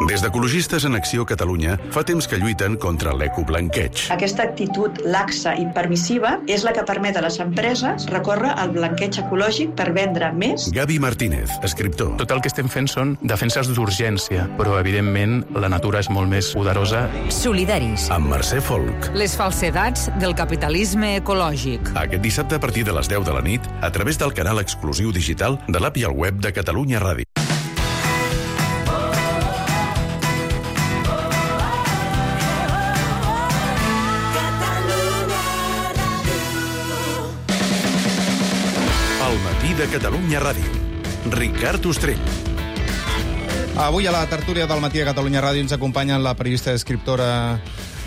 Des d'Ecologistes en Acció Catalunya fa temps que lluiten contra l'ecoblanqueig. Aquesta actitud laxa i permissiva és la que permet a les empreses recórrer al blanqueig ecològic per vendre més. Gavi Martínez, escriptor. Tot el que estem fent són defenses d'urgència, però evidentment la natura és molt més poderosa. Solidaris. Amb Mercè Folk. Les falsedats del capitalisme ecològic. Aquest dissabte a partir de les 10 de la nit a través del canal exclusiu digital de l'app i el web de Catalunya Ràdio. El matí de Catalunya Ràdio. Ricard Ostrell. Avui a la tertúlia del matí a Catalunya Ràdio ens acompanyen la periodista i escriptora,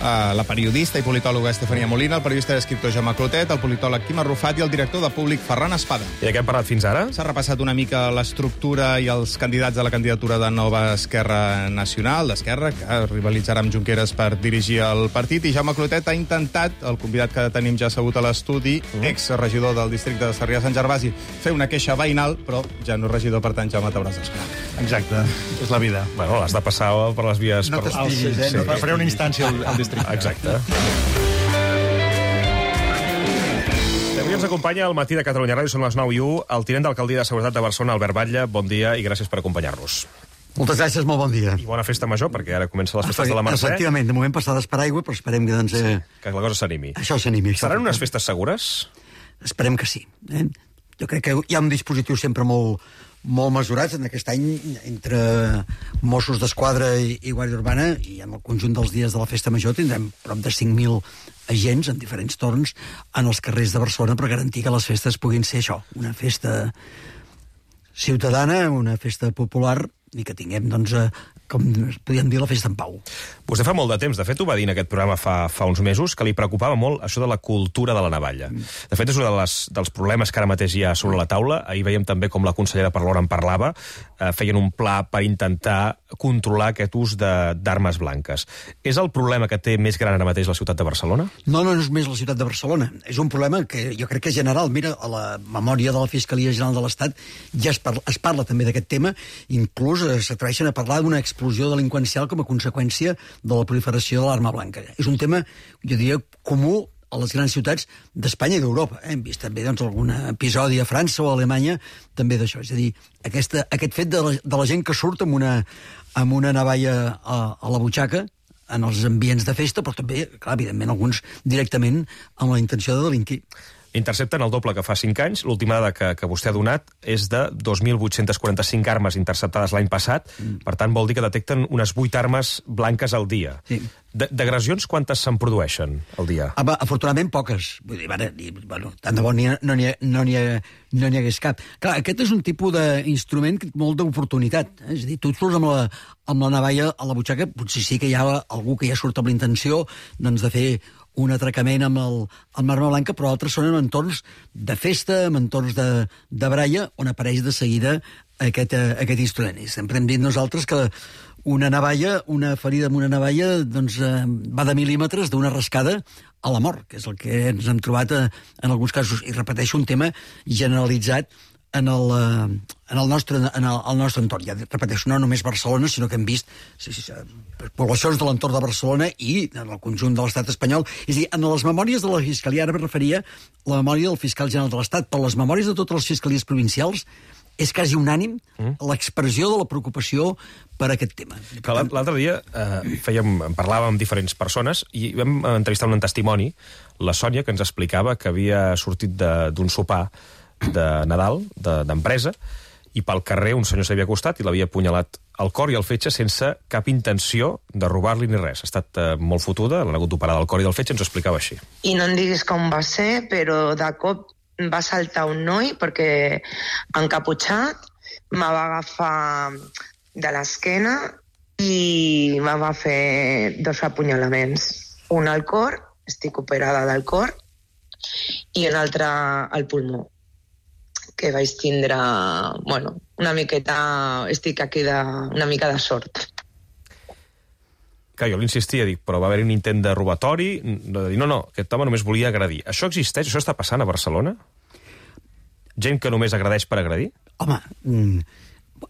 la periodista i politòloga Estefania Molina, el periodista i escriptor Jaume Clotet, el politòleg Quim Arrufat i el director de Públic Ferran Espada. I de què hem parlat fins ara? S'ha repassat una mica l'estructura i els candidats a la candidatura de Nova Esquerra Nacional, d'Esquerra, que rivalitzarà amb Junqueras per dirigir el partit, i Jaume Clotet ha intentat, el convidat que tenim ja assegut a l'estudi, exregidor del districte de Sarrià-Sant Gervasi, fer una queixa veïnal, però ja no és regidor, per tant, Jaume, t'hauràs d'esperar. Exacte, és la vida. Bueno, has de passar per les vies... No t'estiguis, no faré una instància al districte. Exacte. Avui ens acompanya al matí de Catalunya Ràdio, són les 9:01, el tinent d'alcaldia de Seguretat de Barcelona, Albert Batlle. Bon dia i gràcies per acompanyar-nos. Moltes gràcies, molt bon dia. I bona festa major, perquè ara comencen les festes de la Mercè. Efectivament, de moment passades per aigua, però esperem que, doncs, que la cosa s'animi. Això s'animi. Seran unes festes segures? Esperem que sí. Jo crec que hi ha un dispositiu sempre molt mesurats en aquest any entre Mossos d'Esquadra i Guàrdia Urbana, i en el conjunt dels dies de la Festa Major tindrem prop de 5.000 agents en diferents torns en els carrers de Barcelona per garantir que les festes puguin ser això, una festa ciutadana, una festa popular, i que tinguem, doncs, com podríem dir, la festa en pau. Vostè fa molt de temps, de fet ho va dir en aquest programa fa uns mesos, que li preocupava molt això de la cultura de la navalla. De fet, és un dels problemes que ara mateix hi ha sobre la taula. Ahir veiem també com la consellera Parlon en parlava. Feien un pla per intentar controlar aquest ús d'armes blanques. És el problema que té més gran ara mateix la ciutat de Barcelona? No és més la ciutat de Barcelona. És un problema que jo crec que és general. Mira, a la memòria de la Fiscalia General de l'Estat ja es parla també d'aquest tema. Inclús s'atreveixen a parlar d'una explosió delinqüencial com a conseqüència de la proliferació de l'arma blanca. És un tema, jo diria, comú a les grans ciutats d'Espanya i d'Europa. Hem vist també, doncs, algun episodi a França o a Alemanya també d'això. És a dir, aquest fet de la gent que surt amb una navalla a la butxaca en els ambients de festa, però també, clar, evidentment, alguns directament amb la intenció de delinquir. Intercepten el doble que fa 5 anys. L'última dada que vostè ha donat és de 2.845 armes interceptades l'any passat. Per tant, vol dir que detecten unes 8 armes blanques al dia. Sí. D'agressions, quantes se'n produeixen al dia? Afortunadament, poques. Vull dir, tant de bo no n'hi hagués cap. Clar, aquest és un tipus d'instrument molt d'oportunitat. És a dir, tu et surts amb la navalla a la butxaca, potser sí que hi ha algú que ja surt amb l'intenció, doncs, de fer un atracament amb l'arma blanca, però altres són en entorns de festa, en entorns de bralla, on apareix de seguida aquest instrument. I sempre hem dit nosaltres que una ferida amb una navalla, doncs, va de mil·límetres d'una rascada a la mort, que és el que ens hem trobat en alguns casos. I repeteixo, un tema generalitzat en el nostre entorn. Ja repeteixo, no només Barcelona, sinó que hem vist poblacions de l'entorn de Barcelona i en el conjunt de l'estat espanyol. És a dir, en les memòries de la Fiscalia, ara me referia a la memòria del fiscal general de l'Estat, però les memòries de totes les fiscalies provincials és quasi unànim l'expressió de la preocupació per aquest tema. L'altre dia parlàvem amb diferents persones i vam entrevistar un testimoni, la Sònia, que ens explicava que havia sortit d'un sopar de Nadal, d'empresa, i pel carrer un senyor s'havia acostat i l'havia apunyalat al cor i al fetge sense cap intenció de robar-li ni res. Ha estat molt fotuda, l'han hagut d'operar del cor i del fetge, ens ho explicava així. I no em diguis com va ser, però de cop va saltar un noi perquè encaputxat me va agafar de l'esquena i me va fer 2 apunyalaments. Un al cor, estic operada del cor, i un altre al pulmó, que vaig tindre, una miqueta, estic aquí una mica de sort. Que jo l'insistia, dic, però va haver-hi un intent de robatori, de dir, no, aquest home només volia agredir. Això existeix? Això està passant a Barcelona? Gent que només agredeix per agredir? Home,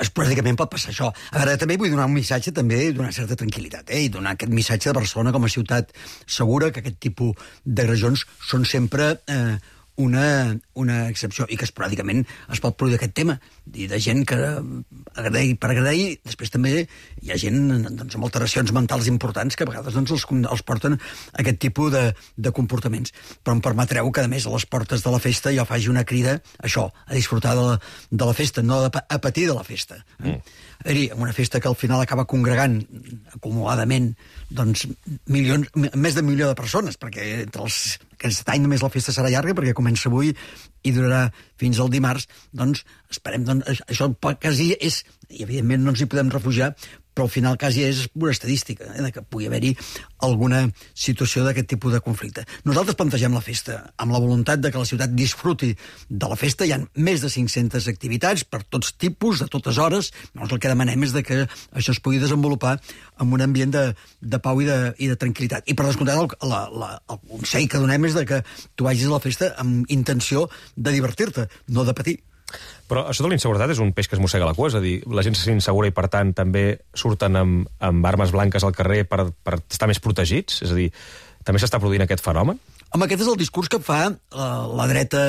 esporàdicament pot passar això. A veure, també vull donar un missatge també d'una certa tranquil·litat, i donar aquest missatge de Barcelona com a ciutat segura, que aquest tipus d'agressions són sempre una excepció, i que esporàdicament es pot produir aquest tema, i de gent que per agrair, després també hi ha gent doncs, amb alteracions mentals importants que a vegades doncs, els porten a aquest tipus de comportaments. Però em permetreu que, a més, a les portes de la festa jo faci una crida, això, a disfrutar de la festa, no a patir de la festa. Una festa que al final acaba congregant acumuladament doncs, més d'un milió de persones, perquè aquest any només la festa serà llarga, perquè comença avui i durarà fins al dimarts, doncs esperem, això quasi és, i evidentment no ens hi podem refugiar, però al final quasi és pura estadística, que pugui haver-hi alguna situació d'aquest tipus de conflicte. Nosaltres plantegem la festa amb la voluntat de que la ciutat disfruti de la festa. Hi ha més de 500 activitats per tots tipus, de totes hores. El que demanem és que això es pugui desenvolupar en un ambient de pau i de tranquil·litat. I per descomptat el consell que donem és que tu vagis a la festa amb intenció de divertir-te, no de patir. Però això de la inseguretat és un peix que es mossega la cua, és a dir, la gent se sent insegura i, per tant, també surten amb armes blanques al carrer per estar més protegits? És a dir, també s'està produint aquest fenomen? Home, aquest és el discurs que fa la dreta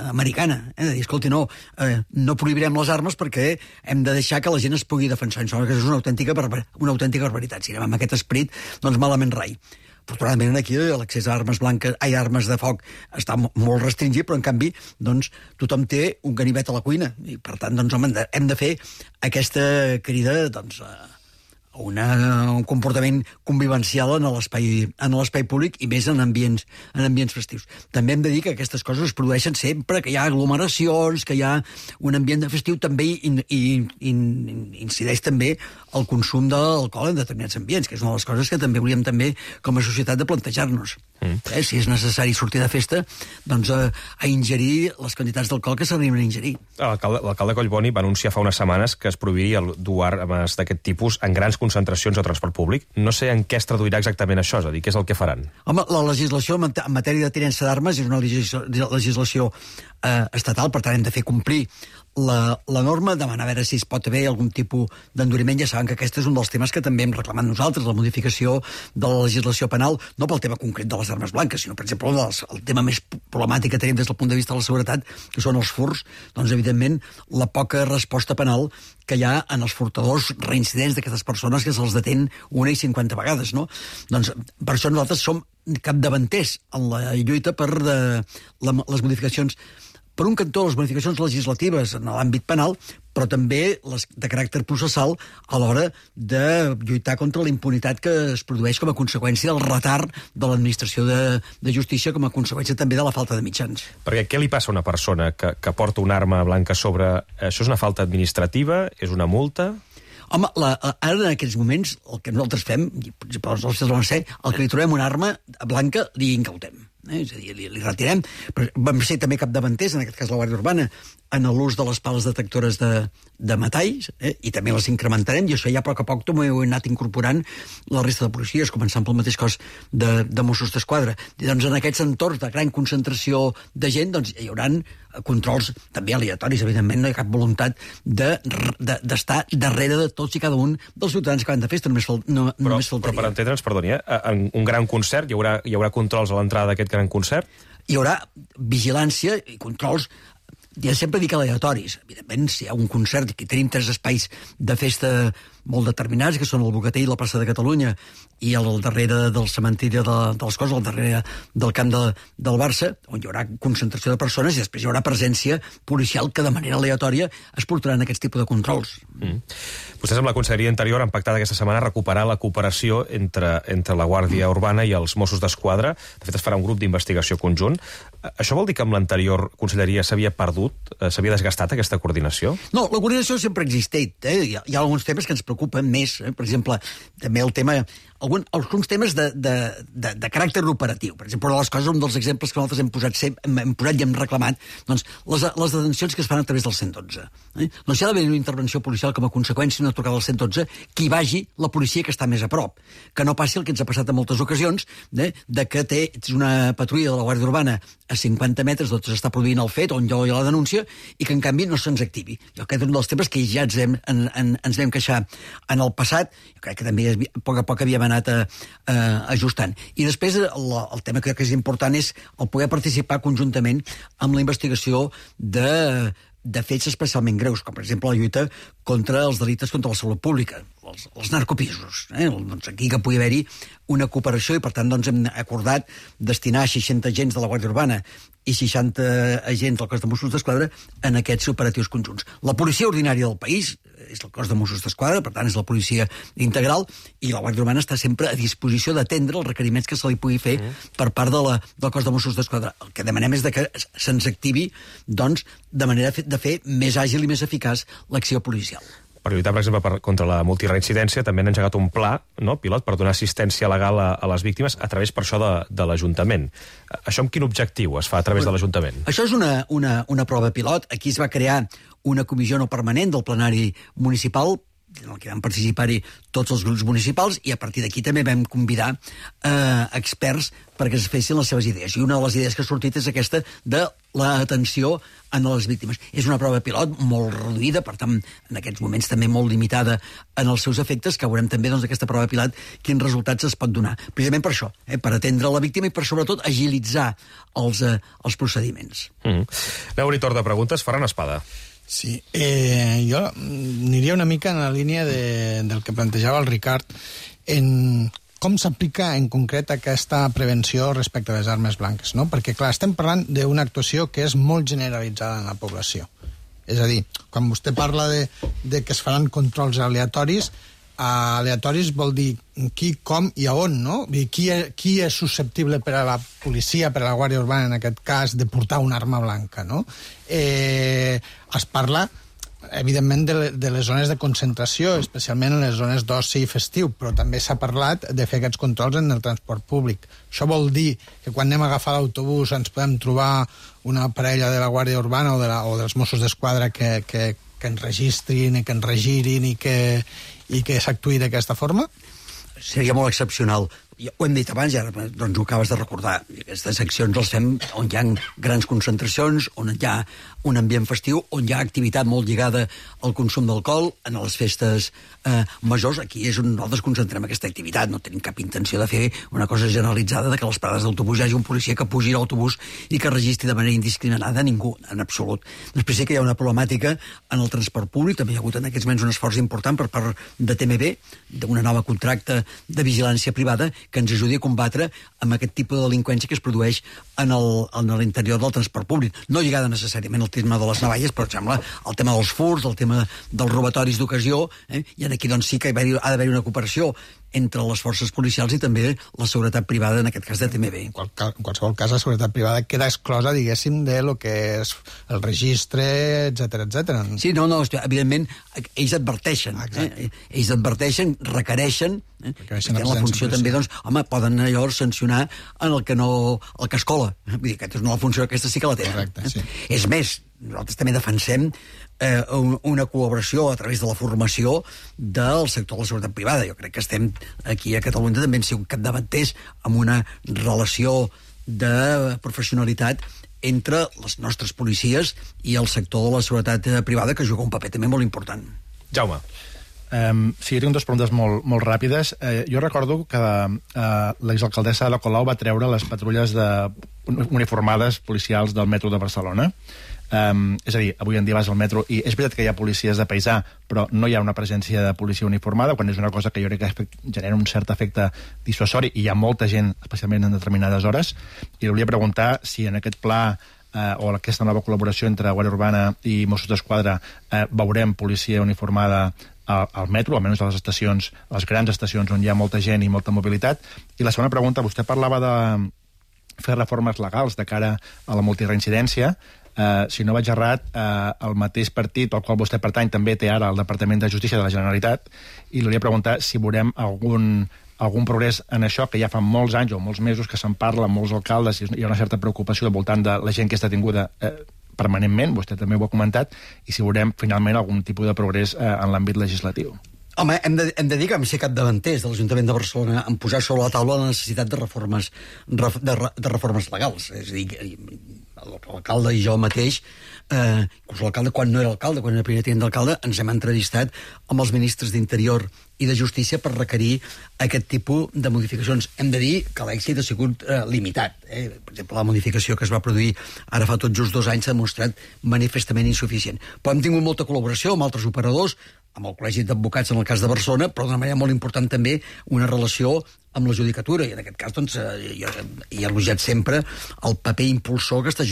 americana, de dir, escolti, no prohibirem les armes perquè hem de deixar que la gent es pugui defensar. Això és una autèntica barbaritat. Si anem amb aquest esperit, doncs malament rai. Afortunadament aquí l'accés a armes de foc està molt restringit, però en canvi doncs, tothom té un ganivet a la cuina i per tant doncs, hem de fer aquesta crida doncs, a un comportament convivencial en l'espai públic i més en ambients festius. També hem de dir que aquestes coses es produeixen sempre que hi ha aglomeracions, que hi ha un ambient festiu, també incideix també el consum d'alcohol en determinats ambients, que és una de les coses que també hauríem també com a societat de plantejar-nos. Si és necessari sortir de festa, doncs a ingerir les quantitats d'alcohol que s'arriben a ingerir. L'alcalde Collboni va anunciar fa unes setmanes que es prohibiria dur armes d'aquest tipus en grans concentracions de transport públic. No sé en què es traduirà exactament això, és a dir, què és el que faran? Home, la legislació en matèria de tinença d'armes és una legislació estatal, per tant hem de fer complir la norma, demanar a veure si es pot haver algun tipus d'enduriment. Ja saben que aquest és un dels temes que també hem reclamat nosaltres, la modificació de la legislació penal, no pel tema concret de les armes blanques, sinó, per exemple, el tema més problemàtic que tenim des del punt de vista de la seguretat, que són els furts. Doncs, evidentment, la poca resposta penal que hi ha en els furtadors reincidents d'aquestes persones que se'ls detén 1 i 50 vegades, no? Doncs, per això nosaltres som capdavanters en la lluita per les modificacions. Per un cantó, les modificacions legislatives en l'àmbit penal, però també les de caràcter processal a l'hora de lluitar contra la impunitat que es produeix com a conseqüència del retard de l'administració de justícia, com a conseqüència també de la falta de mitjans. Perquè què li passa a una persona que porta una arma blanca sobre... Això és una falta administrativa? És una multa? Home, ara en aquests moments el que nosaltres fem, el que li trobem una arma blanca li incautem. És a dir, li retirem. Però vam ser també capdavanters, en aquest cas la Guàrdia Urbana, en l'ús de les pales detectores de metalls, i també les incrementarem, i això ja a poc també ho he anat incorporant la resta de policies, començant pel mateix cos de Mossos d'Esquadra. I doncs en aquests entorns de gran concentració de gent doncs hi haurà controls també aleatoris, evidentment no hi ha cap voluntat d'estar darrere de tots i cada un dels ciutadans que van de festa, només faltaria. Però per entendre'ns, perdoni, en un gran concert hi haurà controls a l'entrada d'aquest gran concert? Hi haurà vigilància i controls, ja sempre dic aleatoris. Evidentment, si hi ha un concert i que tenim 3 espais de festa molt determinats, que són el Bogatell, la plaça de Catalunya i al darrere del cementiri dels Cors, al darrere del camp del Barça, on hi haurà concentració de persones i després hi haurà presència policial que de manera aleatòria es portaran aquests tipus de controls. Vostès amb la Conselleria d'Interior han pactat aquesta setmana recuperar la cooperació entre la Guàrdia Urbana i els Mossos d'Esquadra. De fet, es farà un grup d'investigació conjunt. Això vol dir que amb l'anterior Conselleria s'havia perdut, s'havia desgastat aquesta coordinació? No, la coordinació sempre ha existit. Hi ha alguns temes que ens preocupa més, per exemple, també el tema... alguns temes de caràcter operatiu. Per exemple, una de les coses, un dels exemples que nosaltres hem posat i hem reclamat, doncs, les detencions que es fan a través del 112. Doncs si ha d'haver una intervenció policial com a conseqüència d'una trucada al 112, que hi vagi la policia que està més a prop. Que no passi el que ens ha passat en moltes ocasions, de que tens una patrulla de la Guàrdia Urbana a 50 metres d'on s'està produint el fet, on hi ha la denúncia, i que en canvi no se'ns activi. Jo crec que és un dels temes que ja ens vam queixar en el passat, jo crec que també a poc a poc havíem anat ajustant. I després el tema que crec que és important és el poder participar conjuntament amb la investigació de fets especialment greus, com per exemple la lluita contra els delictes contra la salut pública, els narcopisos. Doncs aquí que pugui haver-hi una cooperació i per tant doncs, hem acordat destinar 60 agents de la Guàrdia Urbana i 60 agents del cos de Mossos d'Esquadra en aquests operatius conjunts. La policia ordinària del país és el cos de Mossos d'Esquadra, per tant és la policia integral, i la Guàrdia Urbana està sempre a disposició d'atendre els requeriments que se li pugui fer per part del cos de Mossos d'Esquadra. El que demanem és que se'ns activi doncs, de manera de fer més àgil i més eficaç l'acció policial. Per lluitar, per exemple, contra la multireincidència, també han engegat un pla pilot per donar assistència legal a les víctimes a través, per això, de l'Ajuntament. Això amb quin objectiu es fa a través de l'Ajuntament? Això és una prova pilot. Aquí es va crear una comissió no permanent del plenari municipal, en el que van participar-hi tots els grups municipals, i a partir d'aquí també vam convidar experts perquè es fessin les seves idees. I una de les idees que ha sortit és aquesta de l'atenció a les víctimes. És una prova pilot molt reduïda, per tant, en aquests moments també molt limitada en els seus efectes, que veurem també d'aquesta prova pilot quins resultats es pot donar. Precisament per això, per atendre la víctima i per, sobretot, agilitzar els procediments. Aneu-hi torn de preguntes. Ferran Espada. Sí, jo aniria una mica en la línia del que plantejava el Ricard, en com s'aplica en concret aquesta prevenció respecte a les armes blanques, no? Perquè, clar, estem parlant d'una actuació que és molt generalitzada en la població. És a dir, quan vostè parla de que es faran controls aleatoris, aleatoris vol dir qui, com i a on, no? Qui és susceptible per a la policia, per a la Guàrdia Urbana, en aquest cas, de portar una arma blanca, no? Es parla, evidentment, de les zones de concentració, especialment en les zones d'oci i festiu, però també s'ha parlat de fer aquests controls en el transport públic. Això vol dir que quan anem a agafar l'autobús ens podem trobar una parella de la Guàrdia Urbana o dels Mossos d'Esquadra que ens registrin i que ens regirin i que s'actuï d'aquesta forma? Seria molt excepcional. Ho hem dit abans, ja doncs ho acabes de recordar. Aquestes accions les fem on hi ha grans concentracions, on hi ha un ambient festiu, on hi ha activitat molt lligada al consum d'alcohol, en les festes majors. Aquí és on nosaltres concentrem aquesta activitat. No tenim cap intenció de fer una cosa generalitzada de que a les parades d'autobús hi hagi un policia que pugi a l'autobús i que registri de manera indiscriminada a ningú, en absolut. Després sí que hi ha una problemàtica en el transport públic. També hi ha hagut en aquests moments un esforç important per part de TMB, d'una nova contracte de vigilància privada que ens ajudi a combatre amb aquest tipus de delinqüència que es produeix en l'interior del transport públic. No lligada necessàriament al tema de les navalles, però, sembla, el tema dels furts, el tema dels robatoris d'ocasió, i aquí doncs sí que ha d'haver-hi una cooperació entre les forces policials i també la seguretat privada, en aquest cas de TMB. En qualsevol cas, la seguretat privada queda exclosa, diguéssim, de lo que és el registre, etc. Sí, no, evidentment, ells adverteixen. Ells adverteixen, requereixen, la funció també, doncs, home, poden llavors sancionar en el que es cola. Vull dir, aquesta és una funció, aquesta sí que la tenen. Correcte, sí. És més, nosaltres també defensem una col·laboració a través de la formació del sector de la seguretat privada. Jo crec que estem aquí a Catalunya també hem sigut capdavanters amb una relació de professionalitat entre les nostres policies i el sector de la seguretat privada, que juga un paper també molt important. Jaume. Sí, jo tinc dues preguntes molt ràpides. Jo recordo que l'exalcaldessa de la Colau va treure les patrulles uniformades policials del metro de Barcelona. És a dir, avui en dia vas al metro i és veritat que hi ha policies de paisà, però no hi ha una presència de policia uniformada, quan és una cosa que jo crec que genera un cert efecte dissuasori i hi ha molta gent, especialment en determinades hores. I li volia preguntar si en aquest pla o aquesta nova col·laboració entre Guàrdia Urbana i Mossos d'Esquadra veurem policia uniformada al metro, almenys a les estacions, a les grans estacions on hi ha molta gent i molta mobilitat. I la segona pregunta, vostè parlava de fer reformes legals de cara a la multireincidència. Si no vaig errat, el mateix partit al qual vostè pertany també té ara el Departament de Justícia de la Generalitat, i li volia preguntar si veurem algun progrés en això, que ja fa molts anys o molts mesos que se'n parla, molts alcaldes, hi ha una certa preocupació al voltant de la gent que està detinguda permanentment, vostè també ho ha comentat, i si veurem finalment algun tipus de progrés en l'àmbit legislatiu. Home, hem de dir que vam ser capdavanters de l'Ajuntament de Barcelona en posar sobre la taula la necessitat de reformes legals. És a dir, l'alcalde i jo mateix, inclús l'alcalde, quan no era alcalde, quan era primer tinent d'alcalde, ens hem entrevistat amb els ministres d'Interior i de Justícia per requerir aquest tipus de modificacions. Hem de dir que l'èxit ha sigut limitat. Per exemple, la modificació que es va produir ara fa tot just 2 anys s'ha demostrat manifestament insuficient. Però hem tingut molta col·laboració amb altres operadors, amb el Col·legi d'Advocats en el cas de Barcelona, però d'una manera molt important també una relació amb la judicatura, i en aquest cas doncs, jo he elogiat sempre el paper impulsor que està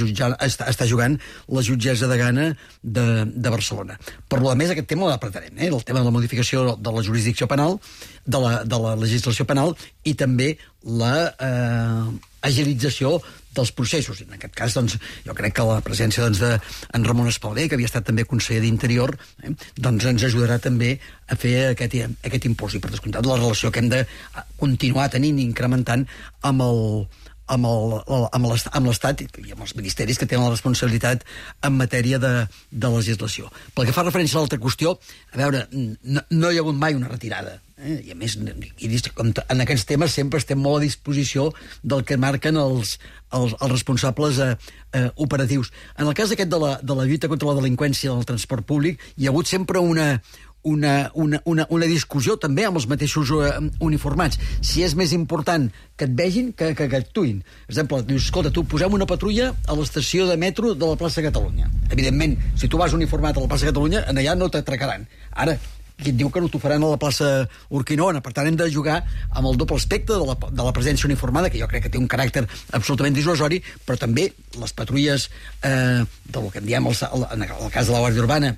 jugant la jutgessa de Gana de Barcelona. Per lo més, aquest tema l'apretarem, el tema de la modificació de la jurisdicció penal, de la legislació penal, i també la agilització dels processos. En aquest cas, doncs, jo crec que la presència d'en Ramon Espalver, que havia estat també conseller d'Interior, doncs ens ajudarà també a fer aquest impuls. I per descomptat, la relació que hem de continuar tenint i incrementant amb l'Estat i amb els ministeris que tenen la responsabilitat en matèria de legislació. Pel que fa referència a l'altra qüestió, a veure, no hi ha hagut mai una retirada. I a més, en aquests temes sempre estem molt a disposició del que marquen els responsables operatius. En el cas aquest de la lluita contra la delinqüència del transport públic, hi ha hagut sempre una discussió també amb els mateixos uniformats. Si és més important que et vegin que actuïn. Per exemple, dius, escolta, tu posem una patrulla a l'estació de metro de la plaça Catalunya. Evidentment, si tu vas uniformat a la plaça Catalunya, allà no t'atracaran. Ara, qui et diu que no t'ho faran a la plaça Urquinaona? Per tant, hem de jugar amb el doble aspecte de la presència uniformada, que jo crec que té un caràcter absolutament dissuasori, però també les patrulles del que en diem en el cas de la Guàrdia Urbana,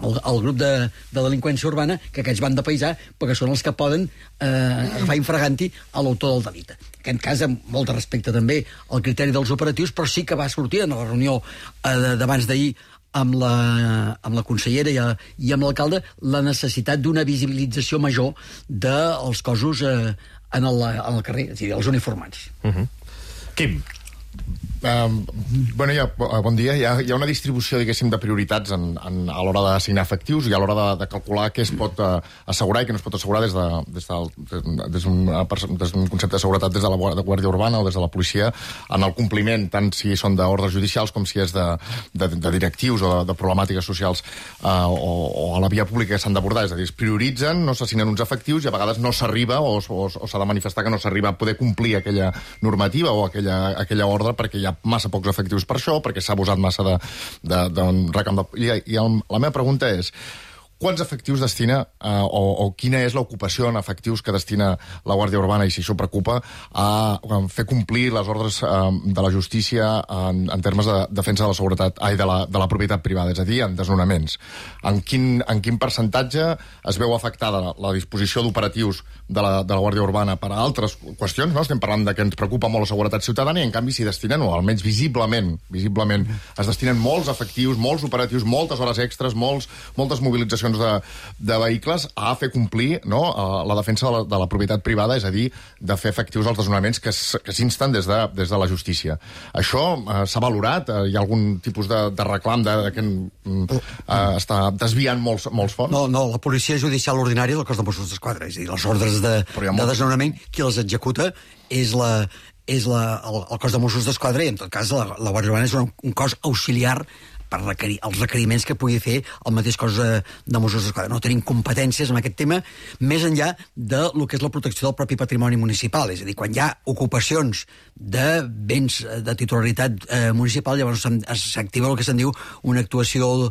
el grup de delinqüència urbana, que aquests van de paisà, perquè són els que poden agafar infraganti a l'autor del delicte. En aquest cas, amb molt de respecte també al criteri dels operatius, però sí que va sortir en la reunió d'abans d'ahir amb la consellera i amb l'alcalde la necessitat d'una visibilització major dels cossos en el carrer, és a dir, els uniformats. Quim? Bon dia. Hi ha una distribució, diguéssim, de prioritats a l'hora d'assignar efectius i a l'hora de calcular què es pot assegurar i què no es pot assegurar des d'un concepte de seguretat des de la Guàrdia Urbana o des de la policia en el compliment, tant si són d'ordres judicials com si és de directius o de problemàtiques socials o a la via pública que s'han d'abordar. És a dir, es prioritzen, no s'assignen uns efectius i a vegades no s'arriba o s'ha de manifestar que no s'arriba a poder complir aquella normativa o aquella ordre perquè hi ha massa pocs efectius per això, perquè s'ha abusat massa d'un recam de... I la meva pregunta és, quants efectius destina o quina és l'ocupació en efectius que destina la Guàrdia Urbana, i si això preocupa, a fer complir les ordres de la justícia en termes de defensa de la seguretat, de la propietat privada, és a dir, en desnonaments? En quin percentatge es veu afectada la disposició d'operatius de la Guàrdia Urbana per a altres qüestions? No? Estem parlant de que ens preocupa molt la seguretat ciutadana i, en canvi, s'hi destinen, o almenys visiblement, es destinen molts efectius, molts operatius, moltes hores extres, moltes mobilitzacions de vehicles a fer complir la defensa de la propietat privada, és a dir, de fer efectius els desnonaments que s'insten des de la justícia. Això s'ha valorat? Hi ha algun tipus de reclam que està desviant molts fons? No, la policia judicial ordinària del cos de Mossos d'Esquadra, és a dir, les ordres de desnonament, qui les executa és el cos de Mossos d'Esquadra, i en tot cas la Guàrdia Urbana és un cos auxiliar per els requeriments que pugui fer el mateix cos de Mossos d'Esquadra. No tenim competències en aquest tema, més enllà de lo que és la protecció del propi patrimoni municipal. És a dir, quan hi ha ocupacions de béns de titularitat municipal, llavors s'activa el que se'n diu una actuació,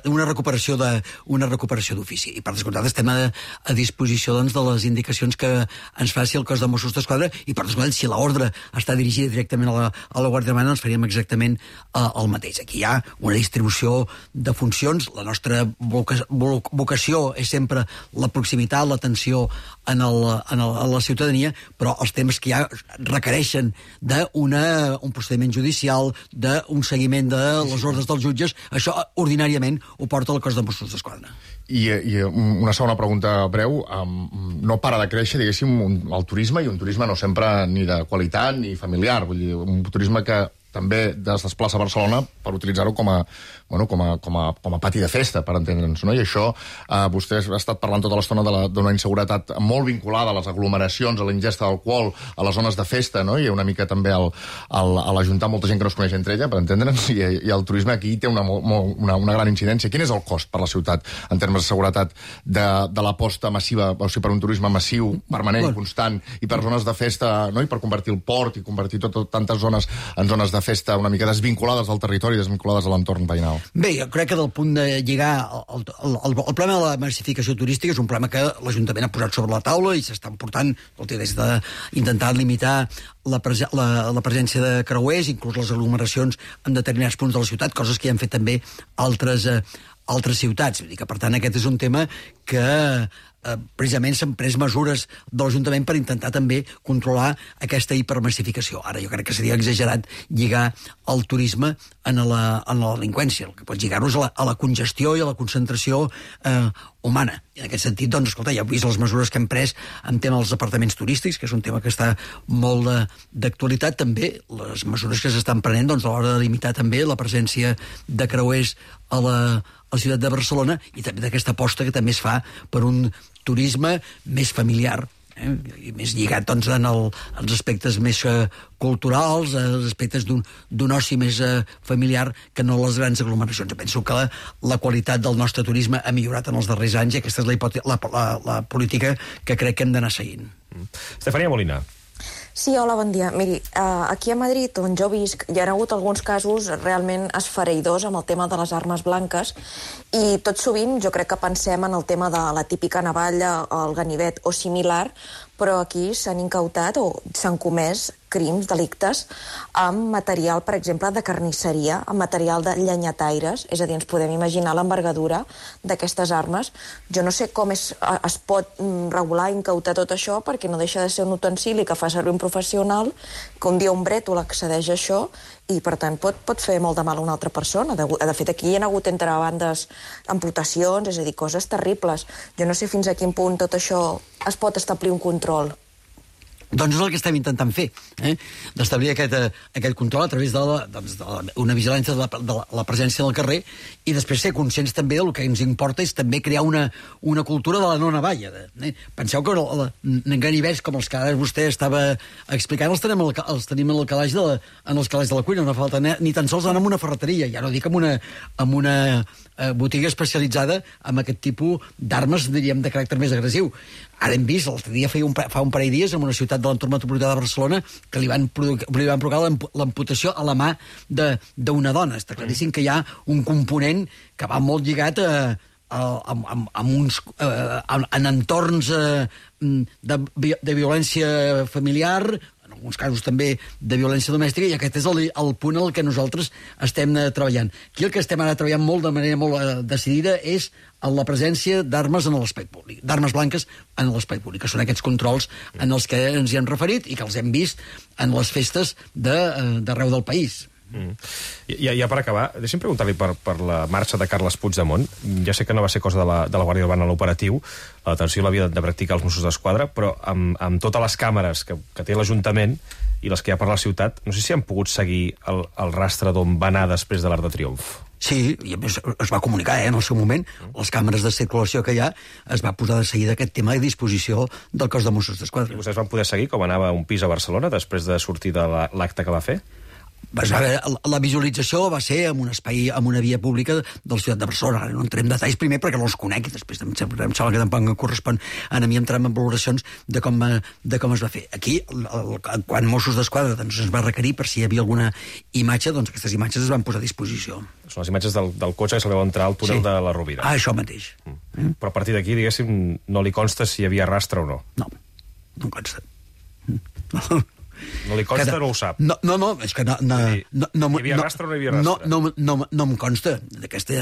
una recuperació d'ofici. I per descomptat estem a disposició de les indicacions que ens faci el cos de Mossos d'Esquadra, i per descomptat, si l'ordre està dirigida directament a la Guàrdia Urbana, doncs faríem exactament el mateix. Aquí hi ha distribució de funcions. La nostra vocació és sempre la proximitat, l'atenció a la ciutadania, però els temes que ja requereixen d'un procediment judicial, d'un seguiment de les ordres dels jutges, això ordinàriament ho porta el cos de Mossos d'Esquadra. I una segona pregunta breu. No para de créixer, diguéssim, el turisme, i un turisme no sempre ni de qualitat ni familiar. Vull dir, un turisme que també es desplaça a Barcelona per utilitzar-ho com a pati de festa, per entendre'ns, no? I això, vostè ha estat parlant tota l'estona d'una inseguretat molt vinculada a les aglomeracions, a la ingesta d'alcohol, a les zones de festa, no? I una mica també a l'ajuntar molta gent que no es coneix entre ella, per entendre'ns, i el turisme aquí té una gran incidència. Quin és el cost per la ciutat en termes de seguretat de l'aposta massiva, o sigui, per un turisme massiu, permanent, constant, i per zones de festa, no? I per convertir el port i convertir tantes zones en zones de festa una mica desvinculades del territori, desvinculades a l'entorn veïnal? Bé, jo crec que del punt de lligar el problema de la massificació turística és un problema que l'Ajuntament ha posat sobre la taula i s'estan portant des d'intentar limitar la presència de creuers, inclús les aglomeracions en determinats punts de la ciutat, coses que ja han fet també altres ciutats. Vull dir que, per tant, aquest és un tema que precisament s'han pres mesures de l'Ajuntament per intentar també controlar aquesta hipermassificació. Ara, jo crec que seria exagerat lligar el turisme a la delinqüència. El que pots lligar-ho és a la congestió i a la concentració humana. I en aquest sentit, doncs, escolta, ja heu vist les mesures que hem pres en tema dels apartaments turístics, que és un tema que està molt d'actualitat, també les mesures que s'estan prenent a l'hora de limitar també la presència de creuers a la ciutat de Barcelona, i també d'aquesta aposta que també es fa per un turisme més familiar, i més lligat doncs, als aspectes més culturals, als aspectes d'un oci més familiar que no les grans aglomeracions. Jo penso que la qualitat del nostre turisme ha millorat en els darrers anys i aquesta és la política que crec que hem d'anar seguint. Estefania Molina. Sí, hola, bon dia. Miri, aquí a Madrid, on jo visc, hi ha hagut alguns casos realment esfereïdors amb el tema de les armes blanques i tot sovint jo crec que pensem en el tema de la típica navalla, el ganivet o similar, però aquí s'han incautat o s'han comès crims, delictes, amb material, per exemple, de carnisseria, amb material de llenyataires, és a dir, ens podem imaginar l'envergadura d'aquestes armes. Jo no sé com es pot regular i incautar tot això, perquè no deixa de ser un utensili que fa servir un professional, que un dia un brètol accedeix a això, i per tant pot fer molt de mal a una altra persona. De fet, aquí hi ha hagut entre bandes amputacions, és a dir, coses terribles. Jo no sé fins a quin punt tot això es pot establir un control. Doncs és el que estem intentant fer, d'establir aquest control a través d'una vigilància de la presència del carrer i després ser conscients també del que ens importa és també crear una cultura de la no navalla. Penseu que ganivets com els que ara vostè estava explicant els tenim en el calaix de la cuina, no falta ni tan sols anar a una ferreteria, ja no dic en una botiga especialitzada amb aquest tipus d'armes, diríem, de caràcter més agressiu. Ara hem vist, l'altre dia fa un parell de dies, en una ciutat de l'entorn metropolità de Barcelona, que li van provocar l'amputació a la mà d'una dona. Està claríssim que hi ha un component que va molt lligat en entorns de violència familiar, en alguns casos també de violència domèstica, i aquest és el punt en què nosaltres estem treballant. Aquí el que estem ara treballant de manera molt decidida és la presència d'armes en l'espai públic, d'armes blanques en l'espai públic, que són aquests controls en els que ens hi hem referit i que els hem vist en les festes d'arreu del país. Ja per acabar, deixa'm preguntar-li per la marxa de Carles Puigdemont. Ja sé que no va ser cosa de la Guàrdia Urbana l'operatiu, la detenció l'havia de practicar els Mossos d'Esquadra, però amb totes les càmeres que té l'Ajuntament i les que hi ha per la ciutat, no sé si han pogut seguir el rastre d'on va anar després de l'Arc de Triomf. Sí, i a més es va comunicar en el seu moment, les càmeres de circulació que hi ha, es va posar de seguida aquest tema a disposició del cos de Mossos d'Esquadra. I vostès van poder seguir com anava un pis a Barcelona després de sortir de l'acte que va fer? La visualització va ser en un espai, en una via pública de la ciutat de Barcelona. Ara no entrem en detalls primer perquè no els conec i després em sembla que tampoc em correspon a mi entrar en valoracions de com es va fer. Aquí, quan Mossos d'Esquadra ens va requerir per si hi havia alguna imatge, doncs aquestes imatges es van posar a disposició. Són les imatges del cotxe que se li va entrar al túnel de la Rovira. Això mateix. Però a partir d'aquí, diguéssim, no li consta si hi havia rastre o no. No em consta. No li consta, no ho sap. No, és que no... Hi havia rastre o no hi havia rastre? No em consta d'aquesta...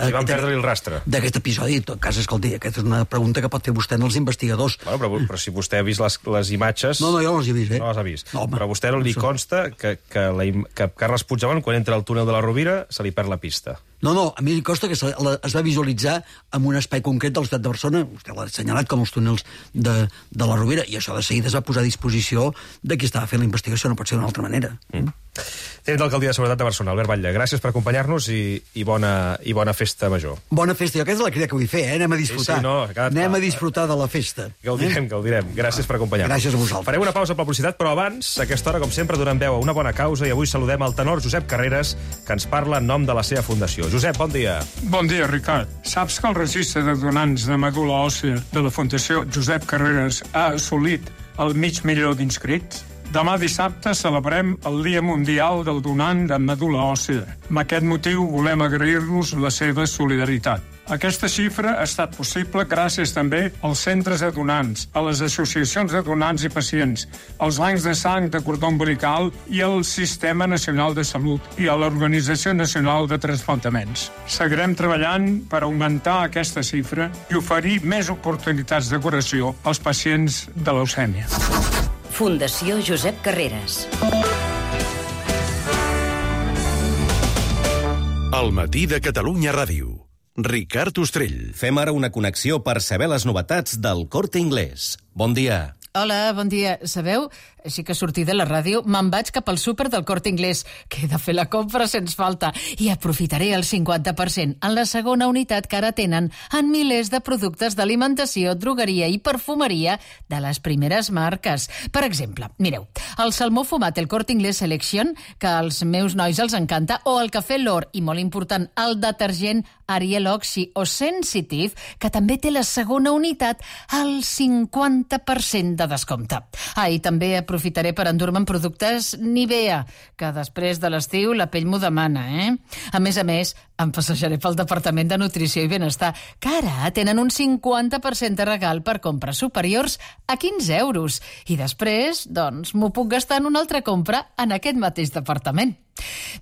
Si van perdre el rastre. D'aquest episodi, en tot cas, escolti, aquesta és una pregunta que pot fer vostè als investigadors. Bueno, però si vostè ha vist les imatges... No, jo no les he vist, No les ha vist. Però a vostè no li consta que Carles Puigdemont, quan entra al túnel de la Rovira, se li perd la pista. No, a mi li costa que es va visualitzar en un espai concret de la ciutat de Barcelona, vostè l'ha assenyalat com els túnels de la Rovira, i això de seguida es va posar a disposició de qui estava fent la investigació, no pot ser d'una altra manera. Tens d'Alcaldia de Seguretat de Barcelona, Albert Batlle. Gràcies per acompanyar-nos i bona festa major. Bona festa, jo aquesta és la crida que vull fer, anem a disfrutar. Anem a disfrutar de la festa. Gaudirem. Gràcies per acompanyar-nos. Gràcies a vosaltres. Farem una pausa per la publicitat, però abans, a aquesta hora, com sempre, donem veu a una bona causa i avui saludem el tenor Josep Carreras, que ens parla en nom de la seva fundació. Josep, bon dia. Bon dia, Ricard. Saps que el registre de donants de medul·la òssia de la Fundació Josep Carreras ha assolit el 500.000 d'inscrits? Demà dissabte celebrem el Dia Mundial del Donant de Medul·la Òssia. Amb aquest motiu volem agrair-los la seva solidaritat. Aquesta xifra ha estat possible gràcies també als centres de donants, a les associacions de donants i pacients, als bancs de sang de cordó umbilical i al Sistema Nacional de Salut i a l'Organització Nacional de Transplantaments. Seguirem treballant per augmentar aquesta xifra i oferir més oportunitats de curació als pacients de leucèmia. Fundació Josep Carreras. El matí de Catalunya Ràdio. Ricard Ostrell. Fem ara una connexió per saber les novetats del Corte Inglés. Bon dia. Hola, bon dia. Sabeu, així que sortir de la ràdio, me'n vaig cap al súper del Corte Inglés, que he de fer la compra sens falta, i aprofitaré el 50% en la segona unitat que ara tenen en milers de productes d'alimentació, drogueria i perfumeria de les primeres marques. Per exemple, mireu, el salmó fumat, el Corte Inglés Selection, que als meus nois els encanta, o el cafè L'Or, i molt important, el detergent Ariel Oxy o Sensitive, que també té la segona unitat al 50% de descompte. I també aprofitaré per endur-me en productes Nivea, que després de l'estiu la pell m'ho demana, A més, em passejaré pel Departament de Nutrició i Benestar, que ara tenen un 50% de regal per compres superiors a 15 euros. I després, doncs, m'ho puc gastar en una altra compra en aquest mateix departament.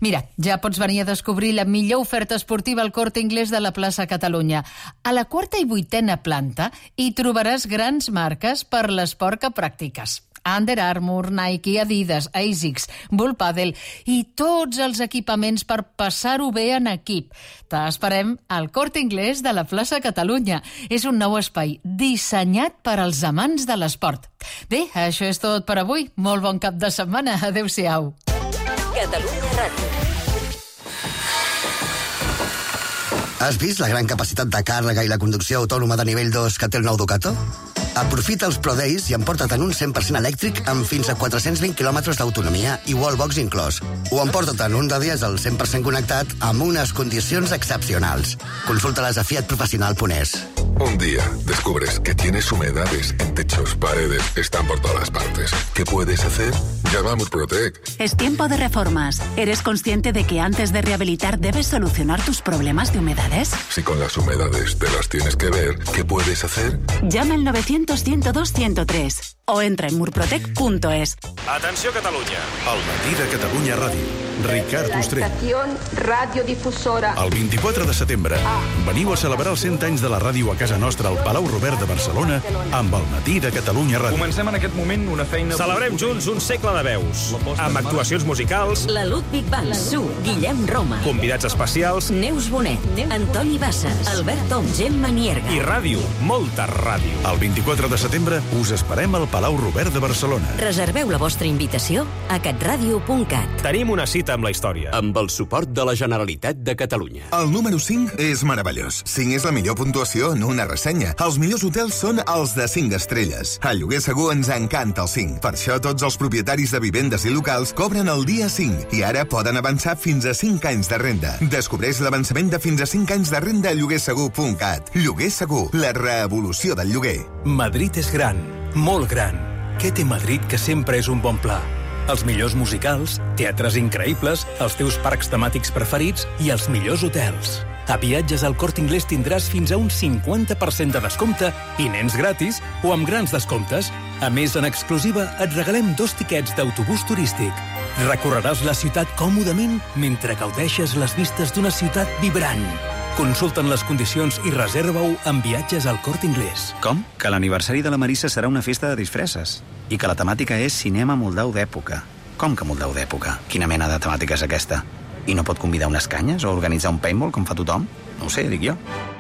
Mira, ja pots venir a descobrir la millor oferta esportiva al Corte Inglés de la plaça Catalunya. A la 4ª i 8ª planta hi trobaràs grans marques per l'esport que practiques. Under Armour, Nike, Adidas, ASICS, Bull Paddle i tots els equipaments per passar-ho bé en equip. T'esperem al Corte Inglés de la plaça Catalunya. És un nou espai dissenyat per als amants de l'esport. Bé, això és tot per avui. Molt bon cap de setmana. Adéu-siau. Catalunya Ràdio. Has vist la gran capacitat de càrrega i la conducció autònoma de nivell 2 que té el nou Ducato? Aprofita els Pro Days i emporta't un 100% elèctric amb fins a 420 km d'autonomia i wallbox inclòs. O emporta't un de dièsel 100% connectat amb unes condicions excepcionals. Consulta-les a fiatprofessional.es. Un día descubres que tienes humedades en techos, paredes, están por todas partes. ¿Qué puedes hacer? Llama a Murprotec. Es tiempo de reformas. ¿Eres consciente de que antes de rehabilitar debes solucionar tus problemas de humedades? Si con las humedades te las tienes que ver, ¿qué puedes hacer? Llama al 900-102-103 o entra en murprotec.es. Atenció, Catalunya. El matí de Catalunya Ràdio. Ricard Ostrell. Estación radiodifusora. El 24 de setembre veniu a celebrar els 100 anys de la ràdio a casa nostra al Palau Robert de Barcelona amb el matí de Catalunya Ràdio. Comencem en aquest moment una feina... Celebrem junts un segle de veus, amb actuacions musicals... La Ludwig Band, Su, Guillem Roma. Convidats especials... Neus Bonet, Antoni Bassas, Albert Tom, Gemma Nierga. I ràdio, molta ràdio. El 24 de setembre us esperem al Palau Robert de Barcelona. Reserveu la vostra invitació a catradio.cat. Tenim una cita amb la història. Amb el suport de la Generalitat de Catalunya. El número 5 és meravellós. 5 és la millor puntuació en una ressenya. Els millors hotels són els de 5 estrelles. A Lloguer Segur ens encanta el 5. Per això tots els propietaris de vivendes i locals cobren el dia 5 i ara poden avançar fins a 5 anys de renda. Descobreix l'avançament de fins a 5 anys de renda a lloguersegur.cat. Lloguer Segur, la revolució del lloguer. Madrid és gran, molt gran. Què té Madrid que sempre és un bon pla? Els millors musicals, teatres increïbles, els teus parcs temàtics preferits i els millors hotels. A Viatges al Corte Inglés tindràs fins a un 50% de descompte i nens gratis o amb grans descomptes. A més, en exclusiva, et regalem 2 tiquets d'autobús turístic. Recorreràs la ciutat còmodament mentre gaudeixes les vistes d'una ciutat vibrant. Consulta'n les condicions i reserva-ho amb Viatges al Corte Inglés. Com? Que l'aniversari de la Marissa serà una festa de disfresses. I que la temàtica és cinema moldau d'època. Com que moldau d'època? Quina mena de temàtica és aquesta? I no pot convidar unes canyes o organitzar un paintball com fa tothom? No ho sé, dic jo.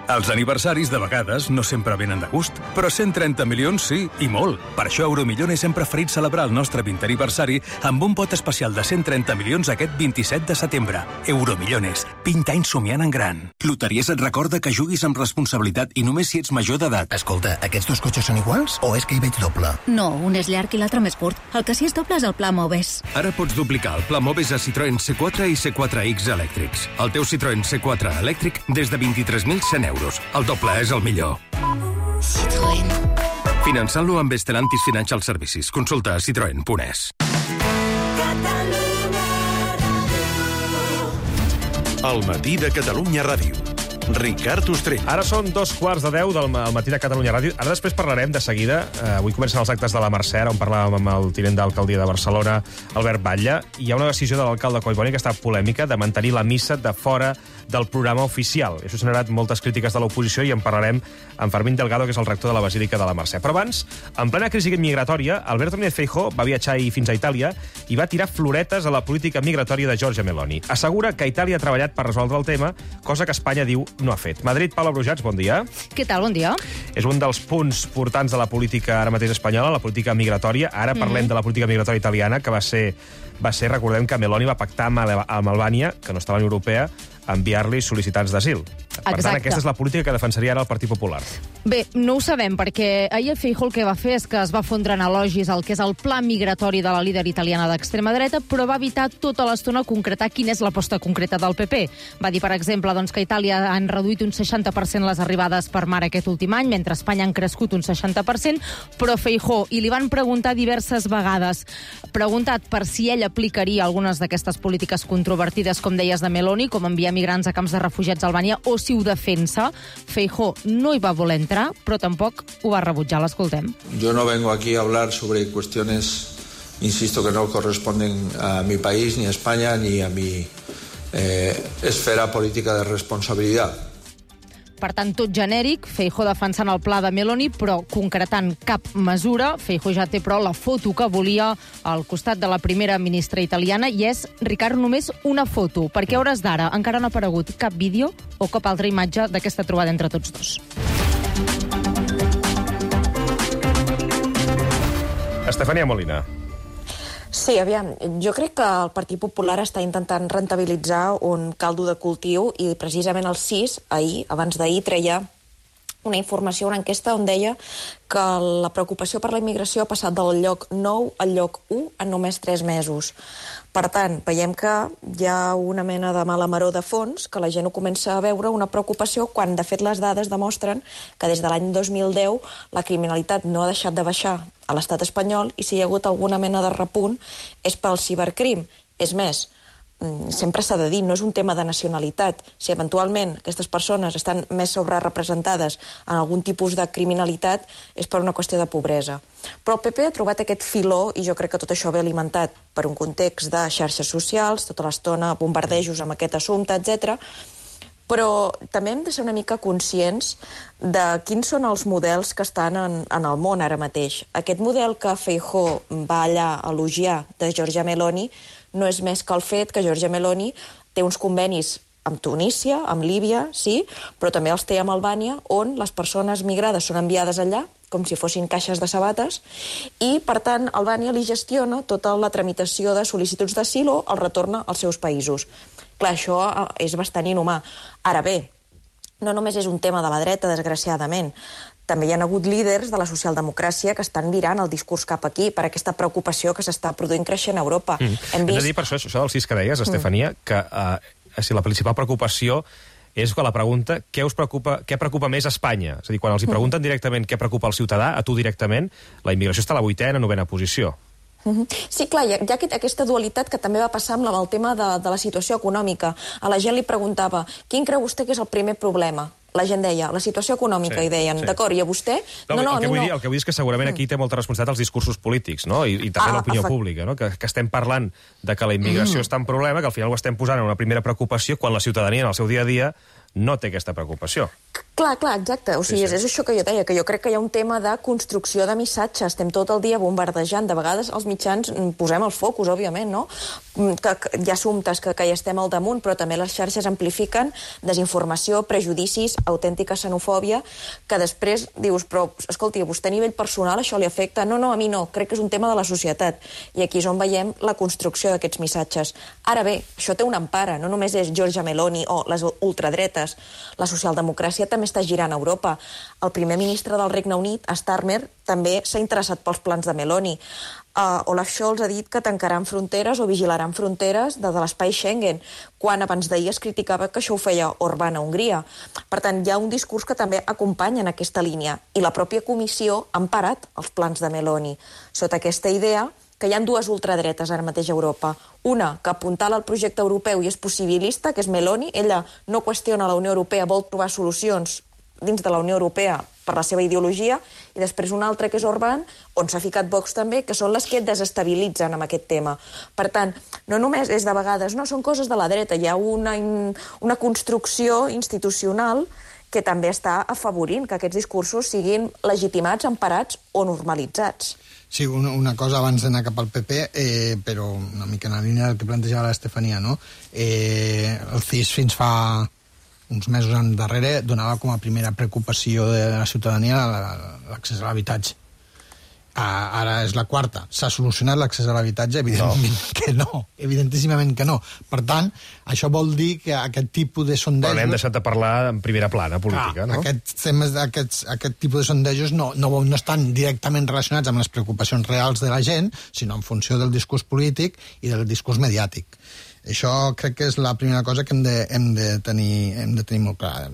Els aniversaris de vegades no sempre venen de gust, però 130 milions sí, i molt. Per això Euromillones hem preferit celebrar el nostre 20è aniversari amb un pot especial de 130 milions aquest 27 de setembre. Euromillones, 20 anys somiant en gran. Loteries et recorda que juguis amb responsabilitat i només si ets major d'edat. Escolta, aquests 2 cotxes són iguals o és que hi veig doble? No, un és llarg i l'altre més curt. El que sí és doble és el pla Moves. Ara pots duplicar el pla Moves a Citroën C4 i C4X elèctrics. El teu Citroën C4 elèctric des de 23.100 euros. El doble és el millor. Citroën. Finançant-lo amb Stellantis Financial Services. Consulta a citroen.es. El matí de Catalunya Ràdio. Ricard Ostrell. Ara són 2:15 del matí de Catalunya Ràdio. Ara després parlarem de seguida. Avui comencen els actes de la Mercè, on parlàvem amb el tinent d'alcaldia de Barcelona, Albert Batlle. Hi ha una decisió de l'alcalde Collboni que està polèmica de mantenir la missa de fora del programa oficial. Això ha generat moltes crítiques de l'oposició i en parlarem amb Fermín Delgado, que és el rector de la Basílica de la Mercè. Però abans, en plena crisi migratòria, Alberto Núñez Feijóo va viatjar fins a Itàlia i va tirar floretes a la política migratòria de Giorgia Meloni. Assegura que Itàlia ha treballat per resoldre el tema, cosa que Espanya diu no ha fet. Madrid, Paula Brujats, bon dia. Què tal, bon dia. És un dels punts portants de la política ara mateix espanyola, la política migratòria. Ara parlem de la política migratòria italiana, que va ser, recordem que Meloni va pactar amb Albània, que no estava a la Unió Europea, enviar-li sol·licitants d'asil. Per tant, aquesta és la política que defensaria ara el Partit Popular. Bé, no ho sabem, perquè ahir Feijóo el que va fer és que es va fondre en elogis el que és el pla migratori de la líder italiana d'extrema dreta, però va evitar tota l'estona concretar quina és l'aposta concreta del PP. Va dir, per exemple, que a Itàlia han reduït un 60% les arribades per mar aquest últim any, mentre a Espanya han crescut un 60%, però Feijóo, i li van preguntar diverses vegades, preguntat per si ell aplicaria algunes d'aquestes polítiques controvertides, com deies, de Meloni, com enviar migrants a camps de refugiats a Albània, o si ho defensa. Feijóo no hi va voler entrar, però tampoc ho va rebutjar. L'escoltem. Yo no vengo aquí a hablar sobre cuestiones, insisto, que no corresponden a mi país, ni a España, ni a mi esfera política de responsabilidad. Per tant, tot genèric, Feijóo defensant el pla de Meloni, però concretant cap mesura. Feijóo ja té, però, la foto que volia al costat de la primera ministra italiana, i és, Ricard, només una foto, perquè a hores d'ara encara no ha aparegut cap vídeo o cap altra imatge d'aquesta trobada entre tots dos. Estefania Molina. Sí, aviam, jo crec que el Partit Popular està intentant rentabilitzar un caldo de cultiu i precisament el 6, ahir, abans d'ahir, treia una informació, una enquesta on deia que la preocupació per la immigració ha passat del lloc 9 al lloc 1 en només 3 mesos. Per tant, veiem que hi ha una mena de mala maror de fons, que la gent ho comença a veure una preocupació, quan de fet les dades demostren que des de l'any 2010 la criminalitat no ha deixat de baixar a l'estat espanyol, i si hi ha hagut alguna mena de repunt és pel cibercrim. És més, sempre s'ha de dir, no és un tema de nacionalitat. Si eventualment aquestes persones estan més sobrerepresentades en algun tipus de criminalitat, és per una qüestió de pobresa. Però el PP ha trobat aquest filó, i jo crec que tot això ve alimentat per un context de xarxes socials, tota l'estona bombardejos amb aquest assumpte, etc. Però també hem de ser una mica conscients de quins són els models que estan en el món ara mateix. Aquest model que Feijóo va allà a elogiar de Giorgia Meloni no és més que el fet que Giorgia Meloni té uns convenis amb Tunísia, amb Líbia, sí, però també els té amb Albània, on les persones migrades són enviades allà, com si fossin caixes de sabates, i, per tant, Albània li gestiona tota la tramitació de sol·licituds d'asil o el retorn als seus països. Clar, això és bastant inhumà. Ara bé, no només és un tema de la dreta, desgraciadament. També hi ha hagut líders de la socialdemocràcia que estan virant el discurs cap aquí per aquesta preocupació que s'està produint creixent a Europa. Hem de dir, per això del 6 que deies, Estefania, que la principal preocupació és que la pregunta què preocupa més a Espanya. És a dir, quan els hi pregunten directament què preocupa el ciutadà, a tu directament, la immigració està a la 8ª, 9ª posició. Sí, clar, hi ha aquesta dualitat que també va passar amb el tema de la situació econòmica. A la gent li preguntava, quin creu vostè que és el primer problema? La gent deia, la situació econòmica, i deien, d'acord, i a vostè? No, el que vull dir és que segurament aquí té molta responsabilitat els discursos polítics, no? I també l'opinió pública, no? Que estem parlant de que la immigració està en problema, que al final ho estem posant en una primera preocupació, quan la ciutadania en el seu dia a dia no té aquesta preocupació. Clar, exacte. O sigui, és això que jo deia, que jo crec que hi ha un tema de construcció de missatges. Estem tot el dia bombardejant. De vegades els mitjans posem els focus, òbviament, no? Que hi ha assumptes que hi estem al damunt, però també les xarxes amplifiquen desinformació, prejudicis, autèntica xenofòbia, que després dius, però, escolti, a vostè a nivell personal això li afecta? No, a mi no. Crec que és un tema de la societat. I aquí és on veiem la construcció d'aquests missatges. Ara bé, això té una empara. No només és Giorgia Meloni o les ultradretes. La socialdemocràcia també està girant a Europa. El primer ministre del Regne Unit, Starmer, també s'ha interessat pels plans de Meloni. Olaf Scholz ha dit que tancaran fronteres o vigilaran fronteres de l'espai Schengen, quan abans d'ahir es criticava que això ho feia Orbán a Hongria. Per tant, hi ha un discurs que també acompanya en aquesta línia. I la pròpia comissió ha emparat els plans de Meloni, sota aquesta idea que hi ha dues ultradretes ara mateix a Europa. Una, que apuntala al projecte europeu i és possibilista, que és Meloni. Ella no qüestiona la Unió Europea, vol trobar solucions dins de la Unió Europea per la seva ideologia, i després una altra, que és Orbán, on s'ha ficat Vox també, que són les que desestabilitzen amb aquest tema. Per tant, no només és de vegades, no, són coses de la dreta, hi ha una construcció institucional que també està afavorint que aquests discursos siguin legitimats, emparats o normalitzats. Sí, una cosa abans d'anar cap al PP, però una mica en la línia del que plantejava l'Estefania, no? El CIS fins fa uns mesos endarrere donava com a primera preocupació de la ciutadania l'accés a l'habitatge. Ara és la quarta. S'ha solucionat l'accés a l'habitatge? Evidentment que no. Evidentíssimament que no. Per tant, això vol dir que aquest tipus de sondejos... Però n'hem deixat de parlar en primera plana política, no? Aquest tipus de sondejos no estan directament relacionats amb les preocupacions reals de la gent, sinó en funció del discurs polític i del discurs mediàtic. Això crec que és la primera cosa que hem de tenir molt clar.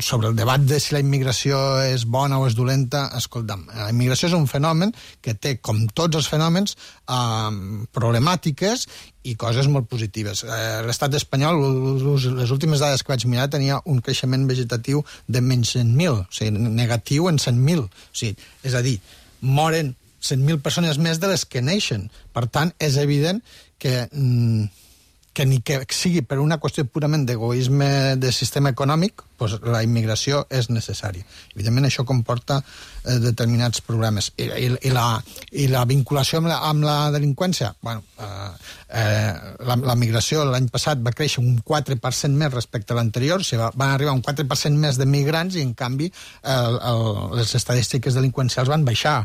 Sobre el debat de si la immigració és bona o és dolenta, escolta'm, la immigració és un fenomen que té, com tots els fenòmens, problemàtiques i coses molt positives. L'estat espanyol, les últimes dades que vaig mirar, tenia un creixement vegetatiu de menys 100.000, o sigui, negatiu en 100.000. O sigui, és a dir, moren 100.000 persones més de les que neixen. Per tant, és evident que ni que sigui per una qüestió purament d'egoisme de sistema econòmic, doncs la immigració és necessària. Evidentment, això comporta determinats problemes. I la vinculació amb la delinqüència? Bueno, la migració l'any passat va créixer un 4% més respecte a l'anterior, o sigui, van arribar un 4% més de migrants i, en canvi, les estadístiques delinqüencials van baixar.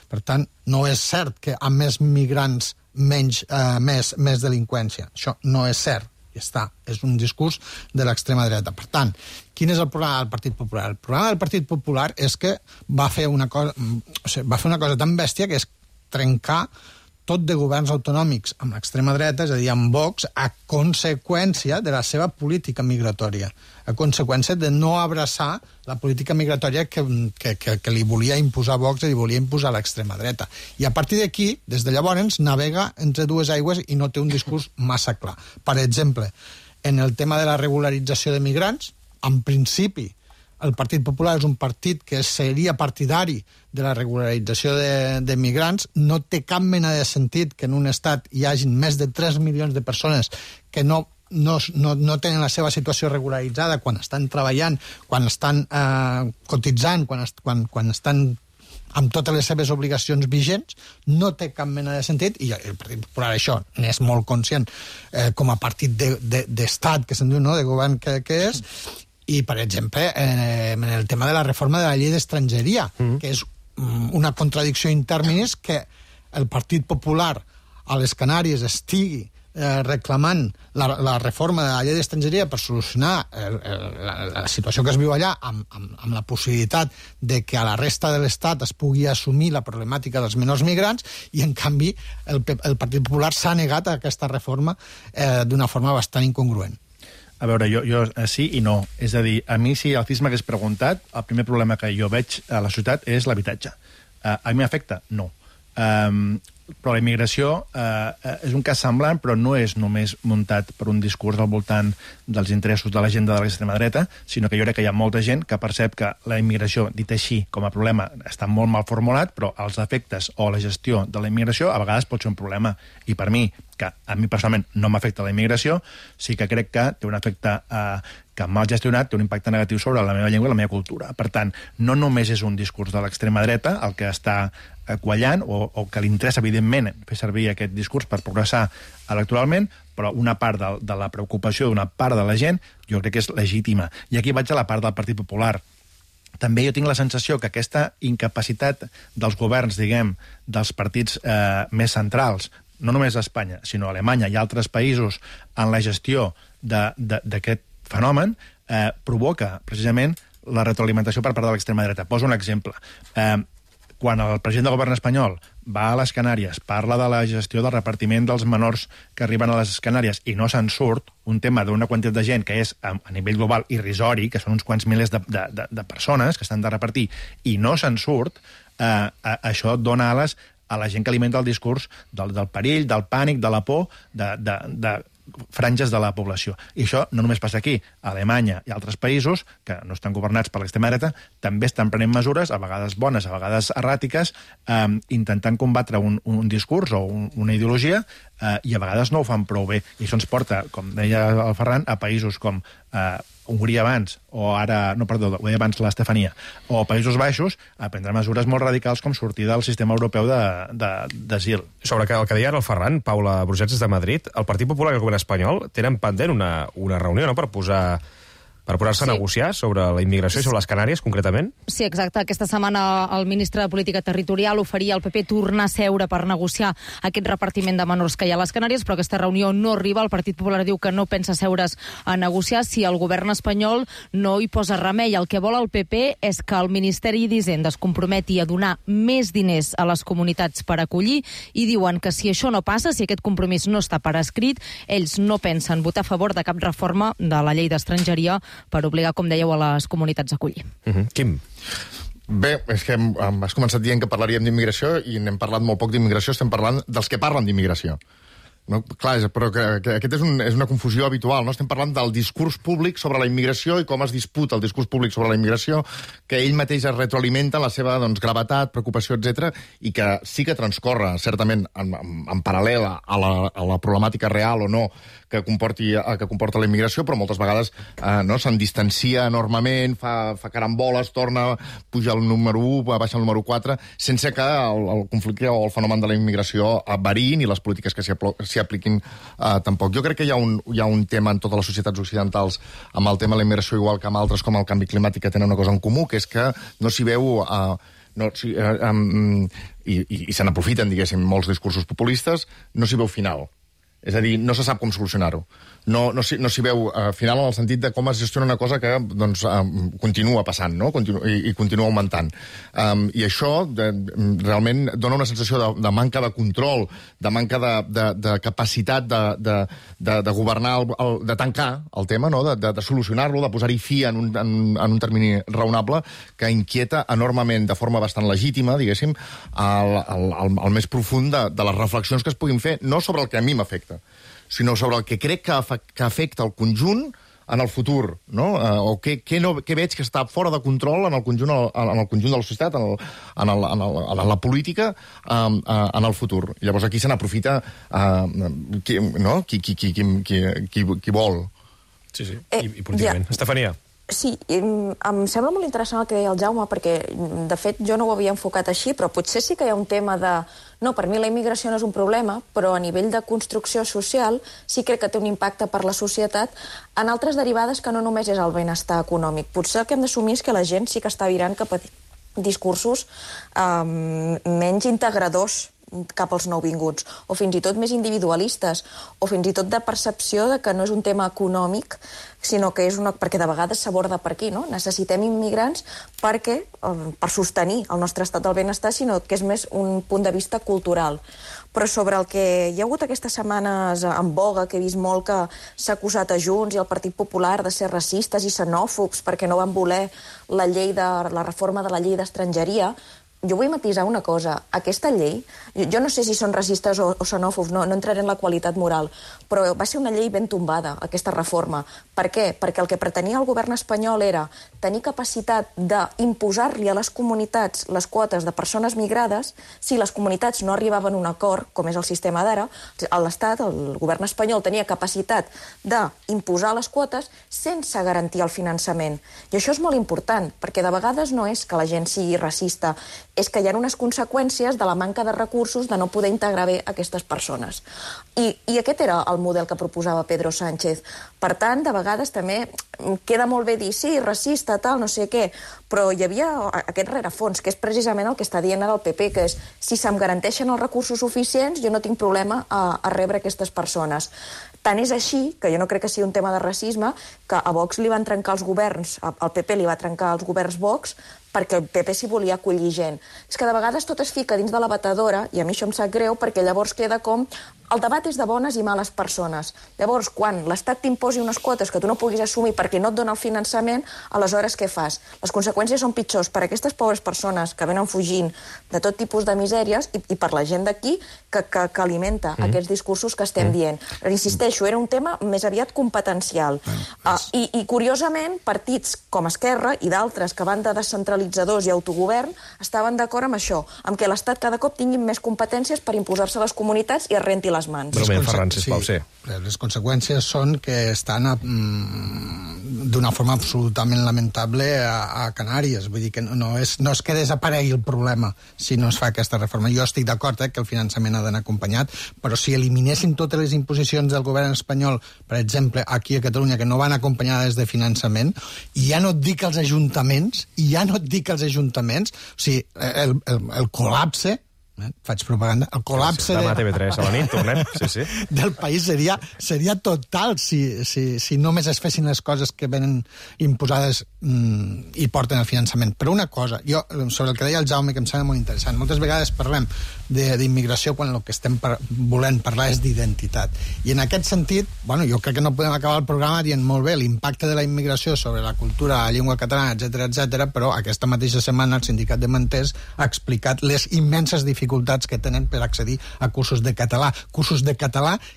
Per tant, no és cert que amb més migrants més delinqüència. Això no és cert. Ja està. És un discurs de l'extrema dreta. Per tant, quin és el problema del Partit Popular? El problema del Partit Popular és que va fer una cosa tan bèstia, que és trencar tot de governs autonòmics amb l'extrema dreta, és a dir, amb Vox, a conseqüència de la seva política migratòria, a conseqüència de no abraçar la política migratòria que li volia imposar Vox i li volia imposar l'extrema dreta. I a partir d'aquí, des de llavors, navega entre dues aigües i no té un discurs massa clar. Per exemple, en el tema de la regularització de migrants, en principi, el Partit Popular és un partit que seria partidari de la regularització de migrants. No té cap mena de sentit que en un estat hi hagin més de 3 milions de persones que no tenen la seva situació regularitzada quan estan treballant, quan estan cotitzant, quan estan amb totes les seves obligacions vigents. No té cap mena de sentit, i el Partit Popular això n'és molt conscient com a partit d'estat, que se'n diu, no?, de govern que és. I, per exemple, en el tema de la reforma de la llei d'estrangeria, que és una contradicció in terminis, que el Partit Popular a les Canàries estigui reclamant la reforma de la llei d'estrangeria per solucionar la situació que es viu allà, amb la possibilitat de que a la resta de l'Estat es pugui assumir la problemàtica dels menors migrants, i en canvi el Partit Popular s'ha negat a aquesta reforma d'una forma bastant incongruent. A veure, jo sí i no. És a dir, a mi, si el CIS m'hagués preguntat, el primer problema que jo veig a la societat és l'habitatge. A mi m'afecta? No. Però la immigració és un cas semblant, però no és només muntat per un discurs al voltant dels interessos de l'agenda de l'extrema dreta, sinó que jo crec que hi ha molta gent que percep que la immigració, dit així, com a problema, està molt mal formulat, però els efectes o la gestió de la immigració a vegades pot ser un problema. I per mi, que a mi personalment no m'afecta la immigració, sí que crec que té un efecte que mal gestionat té un impacte negatiu sobre la meva llengua i la meva cultura. Per tant, no només és un discurs de l'extrema dreta el que està quallant o que li interessa, evidentment, fer servir aquest discurs per progressar electoralment, però una part de la preocupació d'una part de la gent jo crec que és legítima. I aquí vaig a la part del Partit Popular. També jo tinc la sensació que aquesta incapacitat dels governs, diguem, dels partits més centrals, no només a Espanya, sinó a Alemanya i altres països, en la gestió d'aquest fenomen, provoca precisament la retroalimentació per part de l'extrema dreta. Poso un exemple. Quan el president del govern espanyol va a les Canàries, parla de la gestió del repartiment dels menors que arriben a les Canàries i no se'n surt, un tema d'una quantitat de gent que és a nivell global irrisori, que són uns quants milers de persones que estan de repartir, i no se'n surt, això dona ales a la gent que alimenta el discurs del perill, del pànic, de la por, de franges de la població. I això no només passa aquí. A Alemanya i altres països, que no estan governats per l'extrema dreta, també estan prenent mesures, a vegades bones, a vegades erràtiques, intentant combatre un discurs o una ideologia, i a vegades no ho fan prou bé. I això ens porta, com deia el Ferran, a països com Hongria abans, o ara, no, perdó, ho deia abans l'Estefania, o Països Baixos, a prendre mesures molt radicals com sortir del sistema europeu d'asil. Sobre el que deia ara el Ferran, Paula Brugets des de Madrid, el Partit Popular i el govern espanyol tenen pendent una reunió, no?, per posar-se a negociar sobre la immigració i sobre les Canàries, concretament? Sí, exacte. Aquesta setmana el ministre de Política Territorial oferia al PP tornar a seure per negociar aquest repartiment de menors que hi ha a les Canàries, però aquesta reunió no arriba. El Partit Popular diu que no pensa seure's a negociar si el govern espanyol no hi posa remei. El que vol el PP és que el Ministeri d'Hisenda es comprometi a donar més diners a les comunitats per acollir i diuen que si això no passa, si aquest compromís no està per escrit, ells no pensen votar a favor de cap reforma de la llei d'estrangeria per obligar, com dèieu, a les comunitats a acollir. Quim? Bé, és que has començat dient que parlaríem d'immigració i n'hem parlat molt poc d'immigració, estem parlant dels que parlen d'immigració. No, clar, però que aquest és una confusió habitual, no? Estem parlant del discurs públic sobre la immigració i com es disputa el discurs públic sobre la immigració, que ell mateix es retroalimenta la seva gravetat, preocupació, etc, i que sí que transcorre, certament, en paral·lel a la problemàtica real o no que comporta la immigració, però moltes vegades se'n distancia enormement, fa caramboles, torna, puja el número 1, baixa el número 4, sense que el conflicte o el fenomen de la immigració variïn i les polítiques que s'hi apliquin tampoc. Jo crec que hi ha un tema en totes les societats occidentals amb el tema de la immigració, igual que amb altres com el canvi climàtic, que tenen una cosa en comú, que és que no s'hi veu... i se n'aprofiten, diguéssim, molts discursos populistes, no s'hi veu final. És a dir, no se sap com solucionar-ho. No s'hi veu final en el sentit de com es gestiona una cosa que continua passant, no? I continua augmentant. I això realment dona una sensació de manca de control, de manca de capacitat de governar, de tancar el tema, no? De solucionar-lo, de posar-hi fi en un termini raonable, que inquieta enormement, de forma bastant legítima, diguéssim, el més profund de les reflexions que es puguin fer, no sobre el que a mi m'afecta, sinó sobre el que crec que afecta el conjunt en el futur, no? O què veig que està fora de control en el conjunt de la societat, en la política, en el futur. I llavors aquí se n'aprofita qui vol. Sí, i políticament. Estefania. Sí, em sembla molt interessant el que deia el Jaume, perquè, de fet, jo no ho havia enfocat així, però potser sí que hi ha un tema de... No, per mi la immigració no és un problema, però a nivell de construcció social sí crec que té un impacte per la societat en altres derivades que no només és el benestar econòmic. Potser el que hem d'assumir és que la gent sí que està virant cap a discursos menys integradors cap als nouvinguts, o fins i tot més individualistes, o fins i tot de percepció de que no és un tema econòmic, sinó que és perquè de vegades s'aborda per aquí, no? Necessitem immigrants per sostenir el nostre estat del benestar, sinó que és més un punt de vista cultural. Però sobre el que hi ha hagut aquestes setmanes en boga, que he vist molt que s'ha acusat a Junts i al Partit Popular de ser racistes i xenòfobs perquè no van voler la reforma de la llei d'estrangeria, jo vull matisar una cosa. Aquesta llei, jo no sé si són racistes o xenòfobs, no entraré en la qualitat moral, però va ser una llei ben tombada, aquesta reforma. Per què? Perquè el que pretenia el govern espanyol era tenir capacitat d'imposar-li a les comunitats les quotes de persones migrades si les comunitats no arribaven a un acord, com és el sistema d'ara. L'Estat, el govern espanyol, tenia capacitat d'imposar les quotes sense garantir el finançament. I això és molt important, perquè de vegades no és que la gent sigui racista, és que hi ha unes conseqüències de la manca de recursos de no poder integrar bé aquestes persones. I aquest era el model que proposava Pedro Sánchez. Per tant, de vegades també queda molt bé dir, sí, racista, tal, no sé què, però hi havia aquest rerefons, que és precisament el que està dient ara el PP, que és, si se'm garanteixen els recursos suficients, jo no tinc problema a rebre aquestes persones. Tant és així, que jo no crec que sigui un tema de racisme, que a Vox li van trencar els governs, al PP li va trencar els governs Vox, perquè el PP s'hi volia acollir gent. És que de vegades tot es fica dins de la batedora, i a mi això em sap greu, perquè llavors queda com el debat és de bones i males persones. Llavors, quan l'Estat t'imposi unes quotes que tu no puguis assumir perquè no et dona el finançament, aleshores què fas? Les conseqüències són pitjors per a aquestes pobres persones que venen fugint de tot tipus de misèries i per la gent d'aquí que alimenta aquests discursos que estem dient. Però insisteixo, era un tema més aviat competencial. I curiosament, partits com Esquerra i d'altres que van de descentralitzadors i autogovern estaven d'acord amb això, amb que l'Estat cada cop tingui més competències per imposar-se a les comunitats i es renti les mans. Ferran, sisplau, sí. Les conseqüències són que estan d'una forma absolutament lamentable a Canàries. Vull dir que no és que desaparegui el problema si no es fa aquesta reforma. Jo estic d'acord que el finançament ha d'anar acompanyat, però si eliminéssim totes les imposicions del govern espanyol, per exemple, aquí a Catalunya, que no van acompanyades de finançament, i ja no et dic els ajuntaments, o sigui, el col·lapse, faig propaganda, el col·lapse demà a TV3 a la nit, tornem, sí. del país seria total si només es fessin les coses que venen imposades i porten el finançament. Però una cosa, jo, sobre el que deia el Jaume, que em sembla molt interessant, moltes vegades parlem d'immigració quan el que estem volent parlar és d'identitat. I en aquest sentit, bueno, jo crec que no podem acabar el programa dient molt bé l'impacte de la immigració sobre la cultura, la llengua catalana, etc, però aquesta mateixa setmana el Sindicat de Manters ha explicat les immenses dificultats que tenen per accedir a cursos de català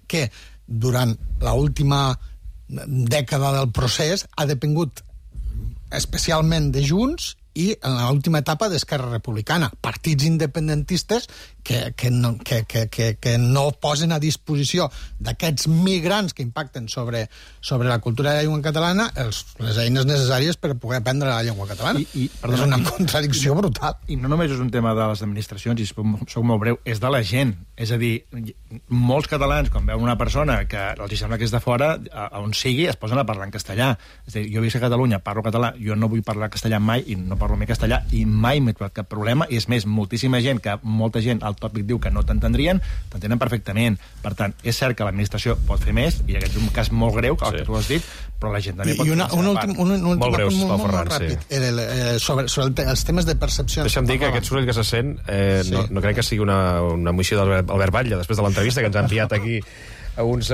que durant l'última dècada del procés ha depengut especialment de Junts i en l'última etapa d'Esquerra Republicana, partits independentistes que no posen a disposició d'aquests migrants que impacten sobre la cultura de la llengua catalana les eines necessàries per poder aprendre la llengua catalana. És una contradicció brutal. I no només és un tema de les administracions, i soc molt breu, és de la gent. És a dir, molts catalans, quan veuen una persona que els sembla que és de fora, on sigui, es posen a parlar en castellà. És a dir, jo visc a Catalunya, parlo català, jo no vull parlar castellà mai, i no parlo mai castellà, i mai m'he trobat cap problema, i és més, moltíssima gent, que molta gent al tòpic diu que no t'entendrien, t'entenen perfectament. Per tant, és cert que l'administració pot fer més, i aquest és un cas molt greu, que tu has dit, però la gent també pot fer un últim molt ràpid. Sobre els temes de percepció. Deixa'm dir que aquest soroll que se sent no crec que sigui una moció d'Albert Batlle, després de l'entrevista que ens ha enviat aquí a unes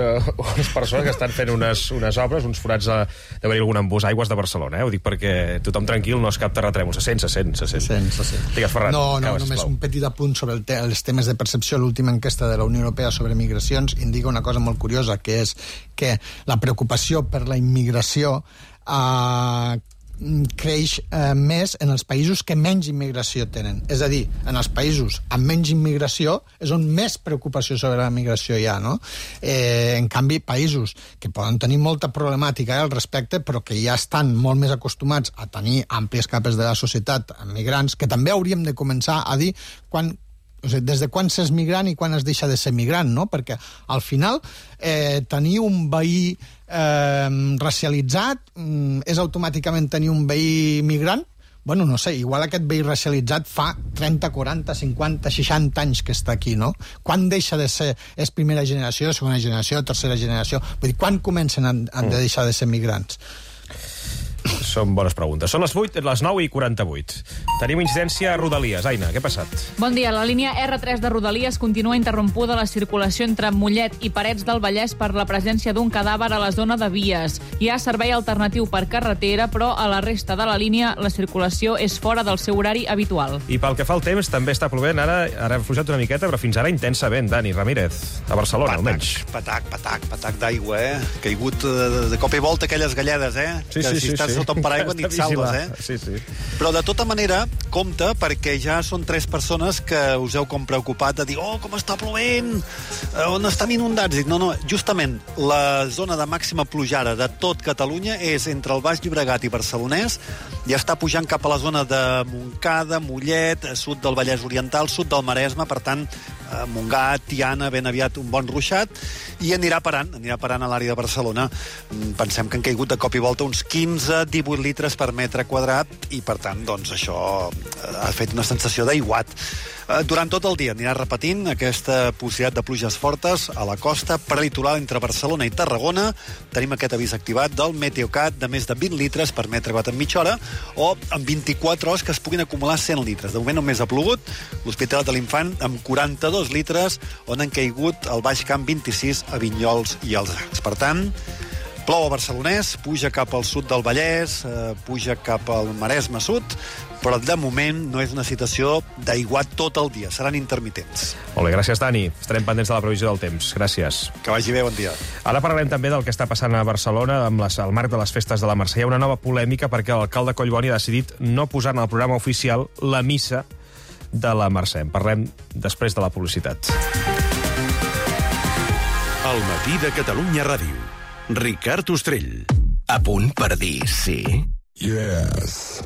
persones que estan fent unes obres, uns forats d'haver-hi algun embús aigües de Barcelona. Ho dic perquè tothom tranquil, no es cap terratrèmol. Se sent. Digues, Ferran. No, només un petit apunt sobre els temes de percepció. L'última enquesta de la Unió Europea sobre migracions indica una cosa molt curiosa, que és que la preocupació per la immigració creix més en els països que menys immigració tenen. És a dir, en els països amb menys immigració és on més preocupació sobre la migració hi ha, no? En canvi, països que poden tenir molta problemàtica al respecte, però que ja estan molt més acostumats a tenir àmplies capes de la societat amb migrants, que també hauríem de començar a dir des de quan s'és migrant i quan es deixa de ser migrant, no? Perquè al final tenir un veí racialitzat és automàticament tenir un veí migrant? Bueno, no sé, igual aquest veí racialitzat fa 30, 40, 50, 60 anys que està aquí, no? Quan deixa de ser, és primera generació, segona generació, tercera generació? Vull dir, quan comencen a deixar de ser migrants? Són bones preguntes. Són les 9:48. Tenim incidència a Rodalies. Aina, què ha passat? Bon dia. La línia R3 de Rodalies continua interrompuda la circulació entre Mollet i Parets del Vallès per la presència d'un cadàver a la zona de vies. Hi ha servei alternatiu per carretera, però a la resta de la línia la circulació és fora del seu horari habitual. I pel que fa al temps, també està plovent. Ara ha fluixat una miqueta, però fins ara intensament. Dani Ramírez, a Barcelona, almenys. Patac d'aigua, Caigut de cop i volta aquelles galledes, Sí, que sí, si estàs sota un paraigua ni et salves, Sí. Però de tota manera, compte, perquè ja són 3 persones que us heu com preocupat de dir com està plovent, on estan inundats. Dic, no, justament la zona de màxima plujada de tot Catalunya és entre el Baix Llobregat i Barcelonès, ja està pujant cap a la zona de Montcada, Mollet, sud del Vallès Oriental, sud del Maresme, per tant, Montgat, Tiana, ben aviat un bon ruixat, i anirà parant a l'àrea de Barcelona. Pensem que han caigut de cop i volta uns 15-18 litres per metre quadrat i, per tant, doncs, això ha fet una sensació d'aiguat. Durant tot el dia anirà repetint aquesta possibilitat de pluges fortes a la costa prelitoral entre Barcelona i Tarragona. Tenim aquest avís activat del Meteocat de més de 20 litres per metre quadrat en mitja hora, o en 24 hores que es puguin acumular 100 litres. De moment només ha plogut l'Hospitalet de l'Infant amb 42 litres, on han caigut al Baix Camp 26 a Vinyols i els Arcs. Per tant, plou a Barcelonès, puja cap al sud del Vallès, puja cap al Maresme sud, però de moment no és una situació d'aiguat tot el dia, seran intermitents. Molt bé, gràcies, Dani. Estarem pendents de la previsió del temps. Gràcies. Que vagi bé, bon dia. Ara parlarem també del que està passant a Barcelona amb el marc de les festes de la Mercè. Hi ha una nova polèmica perquè l'alcalde Collboni ha decidit no posar en el programa oficial la missa de la Mercè. En parlem després de la publicitat. El matí de Catalunya Ràdio. Ricard Ostrell. A punt per dir sí? Yes.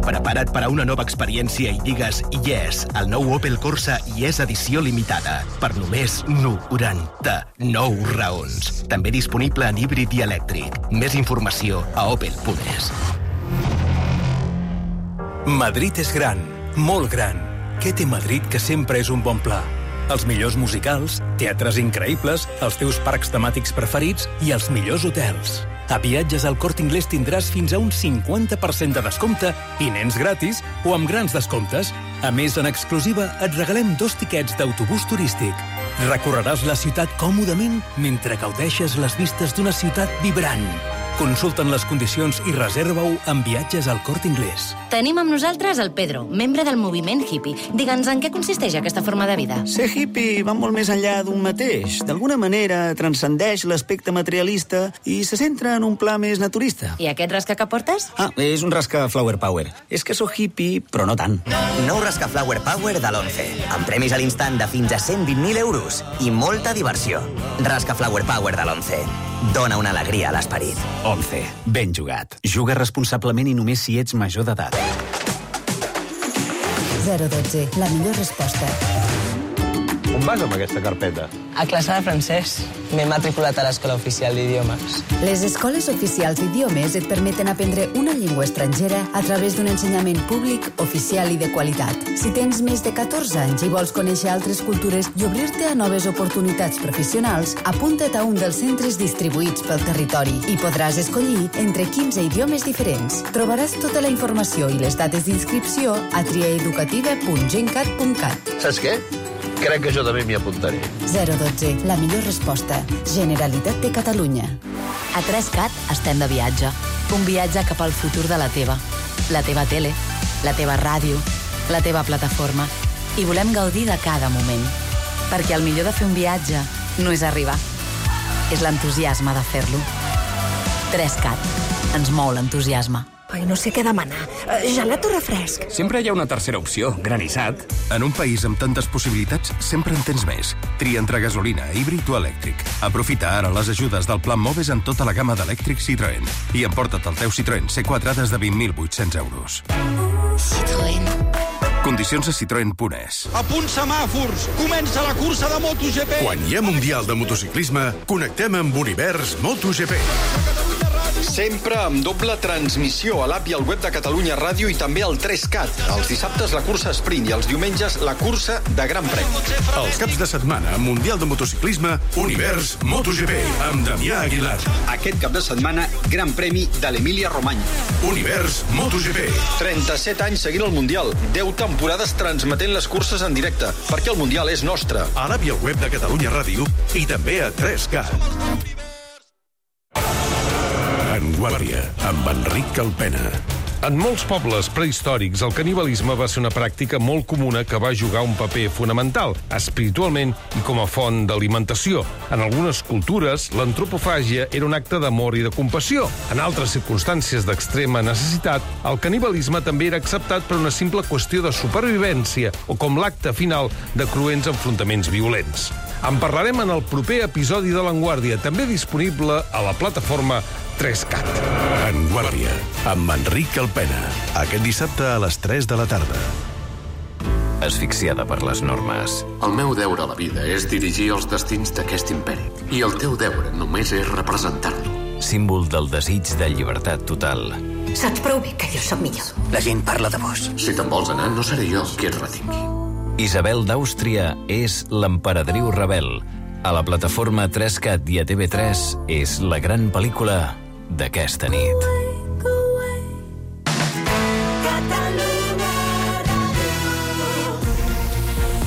Prepara't per a una nova experiència i digues yes al nou Opel Corsa Yes edició limitada per només 99 raons. També disponible en híbrid i elèctric. Més informació a opel.es. Madrid és gran, molt gran. Què té Madrid que sempre és un bon pla? Els millors musicals, teatres increïbles, els teus parcs temàtics preferits i els millors hotels. A Viatges al Corte Inglés tindràs fins a un 50% de descompte i nens gratis o amb grans descomptes. A més, en exclusiva, et regalem 2 tiquets d'autobús turístic. Recorreràs la ciutat còmodament mentre gaudeixes les vistes d'una ciutat vibrant. Consulta'n les condicions i reserva-ho amb Viatges al Corte Inglés. Tenim amb nosaltres el Pedro, membre del moviment hippie. Digue'ns en què consisteix aquesta forma de vida. Ser hippie va molt més enllà d'un mateix. D'alguna manera transcendeix l'aspecte materialista i se centra en un pla més naturista. I aquest rasca que portes? És un rasca Flower Power. És que sóc hippie, però no tant. Nou rasca Flower Power de l'11. Amb premis a l'instant de fins a 120.000 euros i molta diversió. Rasca Flower Power de l'11. Dona una alegria a l'esperit. 11. Ben jugat. Juga responsablement i només si ets major d'edat. 012. La millor resposta. On vas amb aquesta carpeta? A classe de francès. M'he matriculat a l'Escola Oficial d'Idiomes. Les escoles oficials d'idiomes et permeten aprendre una llengua estrangera a través d'un ensenyament públic, oficial i de qualitat. Si tens més de 14 anys i vols conèixer altres cultures i obrir-te a noves oportunitats professionals, apunta't a un dels centres distribuïts pel territori i podràs escollir entre 15 idiomes diferents. Trobaràs tota la informació i les dates d'inscripció a triaeducativa.gencat.cat. Saps què? Crec que jo també m'hi apuntaré. 012. La millor resposta. Generalitat de Catalunya. A 3CAT estem de viatge. Un viatge cap al futur de la teva tele, la teva ràdio, la teva plataforma. I volem gaudir de cada moment. Perquè el millor de fer un viatge no és arribar. És l'entusiasme de fer-lo. 3CAT. Ens mou l'entusiasme. Ai, no sé què demanar. Gelat o refresc? Sempre hi ha una tercera opció, granissat. En un país amb tantes possibilitats, sempre en tens més. Tria entre gasolina, híbrid o elèctric. Aprofita ara les ajudes del Plan Moves en tota la gamma d'elèctrics Citroën. I emporta't el teu Citroën C4 des de 20.800 euros. Citroën. Condicions a citroen.es. A punt semàfors! Comença la cursa de MotoGP! Quan hi ha Mundial de Motociclisme, connectem amb Univers MotoGP. Sempre amb doble transmissió a l'app i al web de Catalunya Ràdio i també al 3CAT. Els dissabtes la cursa sprint i els diumenges la cursa de Gran Premi. Els caps de setmana, Mundial de Motociclisme, Univers MotoGP, amb Damià Aguilar. Aquest cap de setmana, Gran Premi de l'Emília Romanya. Univers MotoGP. 37 anys seguint el Mundial, 10 temporades transmetent les curses en directe, perquè el Mundial és nostre. A l'app i al web de Catalunya Ràdio i també a 3CAT. En Guàrdia, amb Enric Calpena. En molts pobles prehistòrics, el canibalisme va ser una pràctica molt comuna que va jugar un paper fonamental, espiritualment i com a font d'alimentació. En algunes cultures, l'antropofàgia era un acte d'amor i de compassió. En altres circumstàncies d'extrema necessitat, el canibalisme també era acceptat per una simple qüestió de supervivència o com l'acte final de cruents enfrontaments violents. En parlarem en el proper episodi de l'Enguàrdia, també disponible a la plataforma 3CAT. En Guàrdia, amb Enric Calpena. Aquest dissabte a les 3 de la tarda. Asfixiada per les normes. El meu deure a la vida és dirigir els destins d'aquest imperi. I el teu deure només és representar-lo. Símbol del desig de llibertat total. Saps prou bé que jo soc millor. La gent parla de vos. Si te'n vols anar, no seré jo qui et retingui. Isabel d'Àustria és l'emperadriu rebel. A la plataforma 3CAT i a TV3 és la gran pel·lícula d'aquesta nit.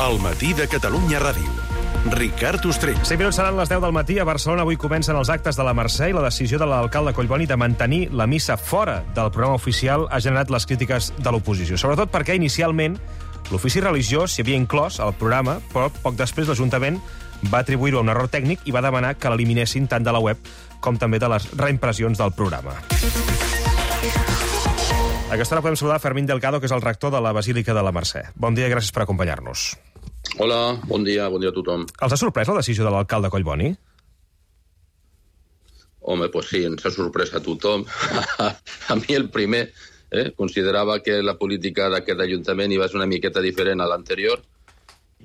El matí de Catalunya Ràdio. Ricard Ostrell. 5 minuts seran les 10 del matí. A Barcelona avui comencen els actes de la Mercè i la decisió de l'alcalde Collboni de mantenir la missa fora del programa oficial ha generat les crítiques de l'oposició. Sobretot perquè inicialment l'ofici religiós s'hi havia inclòs al programa, però poc després l'Ajuntament va atribuir-ho a un error tècnic i va demanar que l'eliminessin tant de la web com també de les reimpressions del programa. A aquesta hora podem saludar Fermín Delgado, que és el rector de la Basílica de la Mercè. Bon dia i gràcies per acompanyar-nos. Hola, bon dia a tothom. Els ha sorprès la decisió de l'alcalde Collboni? Home, pues sí, ens ha sorprès a tothom. A mi el primer... considerava que la política d'aquest ajuntament iba a ser una miqueta diferent a l'anterior.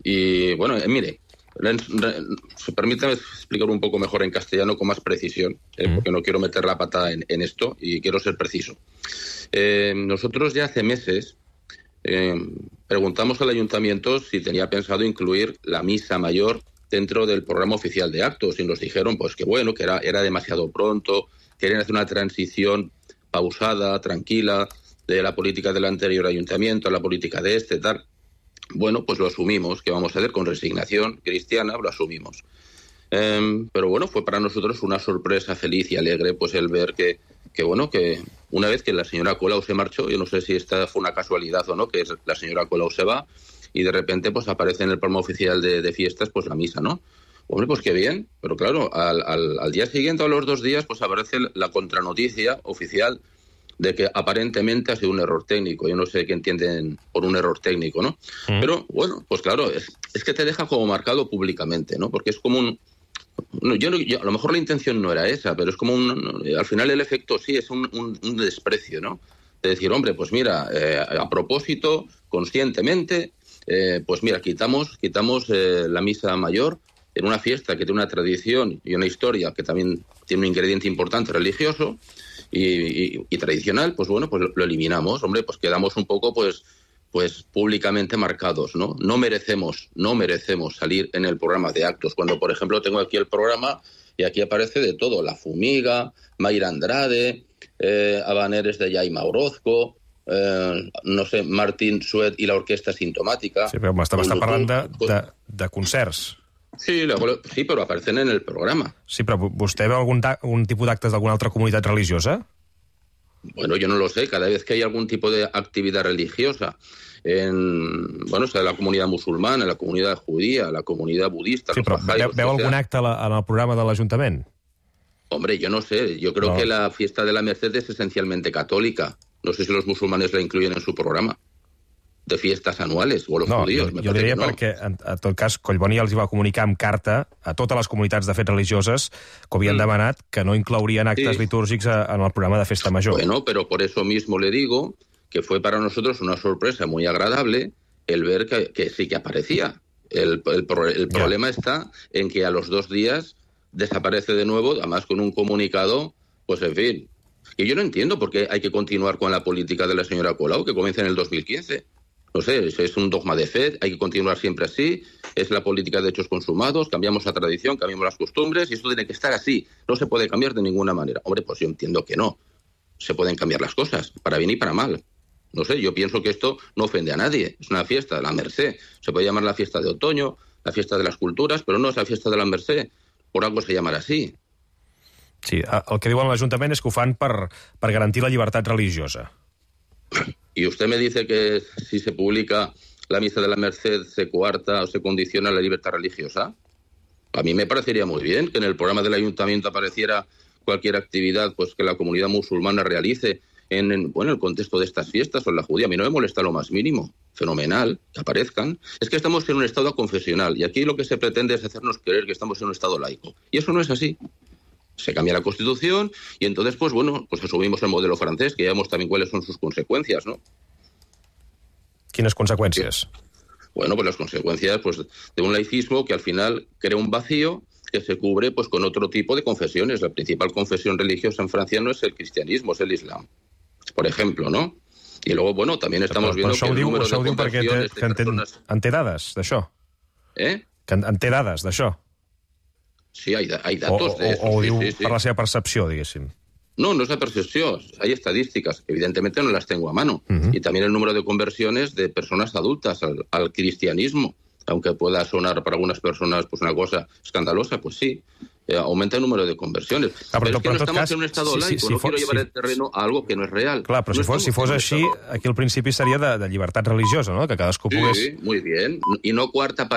Y, bueno, mire, permítame explicar un poco mejor en castellano con más precisión, porque no quiero meter la pata en esto y quiero ser preciso. Nosotros ya hace meses preguntamos al ayuntamiento si tenía pensado incluir la misa mayor dentro del programa oficial de actos y nos dijeron pues que bueno, que era demasiado pronto, querían hacer una transición pausada, tranquila, de la política del anterior ayuntamiento a la política de este, tal. Bueno, pues lo asumimos, que vamos a hacer con resignación cristiana, lo asumimos. Pero bueno, fue para nosotros una sorpresa feliz y alegre pues el ver que bueno, que una vez que la señora Colau se marchó, yo no sé si esta fue una casualidad o no, que la señora Colau se va y de repente pues aparece en el programa oficial de fiestas pues la misa, ¿no? Hombre, pues qué bien, pero claro, al día siguiente o a los 2 días pues aparece la contranoticia oficial de que aparentemente ha sido un error técnico. Yo no sé qué entienden por un error técnico, ¿no? Pero bueno, pues claro, es que te deja como marcado públicamente, ¿no? Porque es como un... Yo, a lo mejor la intención no era esa, pero es como al final el efecto sí es un desprecio, ¿no? De decir, hombre, pues mira, a propósito, conscientemente, pues mira, quitamos la misa mayor en una fiesta que tiene una tradición y una historia que también tiene un ingrediente importante religioso y tradicional, pues bueno, pues lo eliminamos, hombre, pues quedamos un poco pues públicamente marcados, ¿no? No merecemos salir en el programa de actos. Cuando, por ejemplo, tengo aquí el programa y aquí aparece de todo, La Fumiga, Mayra Andrade, Habaneres de Jaime Orozco, no sé, Martín Suet i l'Orquestra Sintomàtica. Sí, però m'està parlant de concerts. Sí, però aparecen en el programa. Sí, però vostè veu algun tipus d'actes d'alguna altra comunitat religiosa? Bueno, yo no lo sé. Cada vez que hay algún tipo de actividad religiosa o sea, la comunidad musulmana, la comunidad judía, la comunidad budista... Sí, però veu algun acte en el programa de l'Ajuntament? Hombre, yo no sé. Yo creo que la fiesta de la Merced es esencialmente católica. No sé si los musulmanes la incluyen en su programa de fiestas anuales, o los judíos. Jo diria perquè, en tot cas, Collboni els va comunicar amb carta a totes les comunitats de fet religioses que havien demanat que no inclourien actes litúrgics en el programa de Festa Major. Bueno, pero por eso mismo le digo que fue para nosotros una sorpresa muy agradable el ver que sí que aparecía. El problema está en que a los 2 días desaparece de nuevo, además con un comunicado, pues en fin, Y yo no entiendo por qué hay que continuar con la política de la señora Colau, que comienza en el 2015. No sé, es un dogma de fe, hay que continuar siempre así, es la política de hechos consumados, cambiamos la tradición, cambiamos las costumbres, y esto tiene que estar así, no se puede cambiar de ninguna manera. Hombre, pues yo entiendo que no, se pueden cambiar las cosas, para bien y para mal. No sé, yo pienso que esto no ofende a nadie, es una fiesta, la Mercè, se puede llamar la fiesta de otoño, la fiesta de las culturas, però no és la fiesta de la Mercè, por algo se llamarà así. Sí, el que diuen l'Ajuntament és que ho fan per garantir la llibertat religiosa. Y usted me dice que si se publica la misa de la Merced se coarta o se condiciona la libertad religiosa. A mí me parecería muy bien que en el programa del ayuntamiento apareciera cualquier actividad pues que la comunidad musulmana realice en el contexto de estas fiestas o en la judía. A mí no me molesta lo más mínimo. Fenomenal, que aparezcan. Es que estamos en un estado confesional y aquí lo que se pretende es hacernos creer que estamos en un estado laico. Y eso no es así. Se cambia la Constitución y entonces, pues asumimos el modelo francés, que ya vemos también cuáles son sus consecuencias, ¿no? ¿Quines consecuencias? Bueno, pues las consecuencias de un laicismo que al final crea un vacío que se cubre pues con otro tipo de confesiones. La principal confesión religiosa en Francia no es el cristianismo, es el islam, por ejemplo, ¿no? I luego, también estamos viendo que el número de conversiones de personas... En té dades d'això? Que en té dades d'això? Sí, hay datos de eso. O ho diu per la seva percepció, diguéssim? No, no es la percepción. Hay estadísticas, que evidentemente no las tengo a mano. Y también el número de conversiones de personas adultas al cristianismo, aunque pueda sonar para algunas personas una cosa escandalosa, pues sí, aumenta el número de conversiones. Pero es que no estamos en un estado laico, no quiero llevar el terreno a algo que no es real. Clar, però si fos així, aquí el principi seria de llibertat religiosa, no? Que cadascú pogués... Sí, muy bien. Y no coarta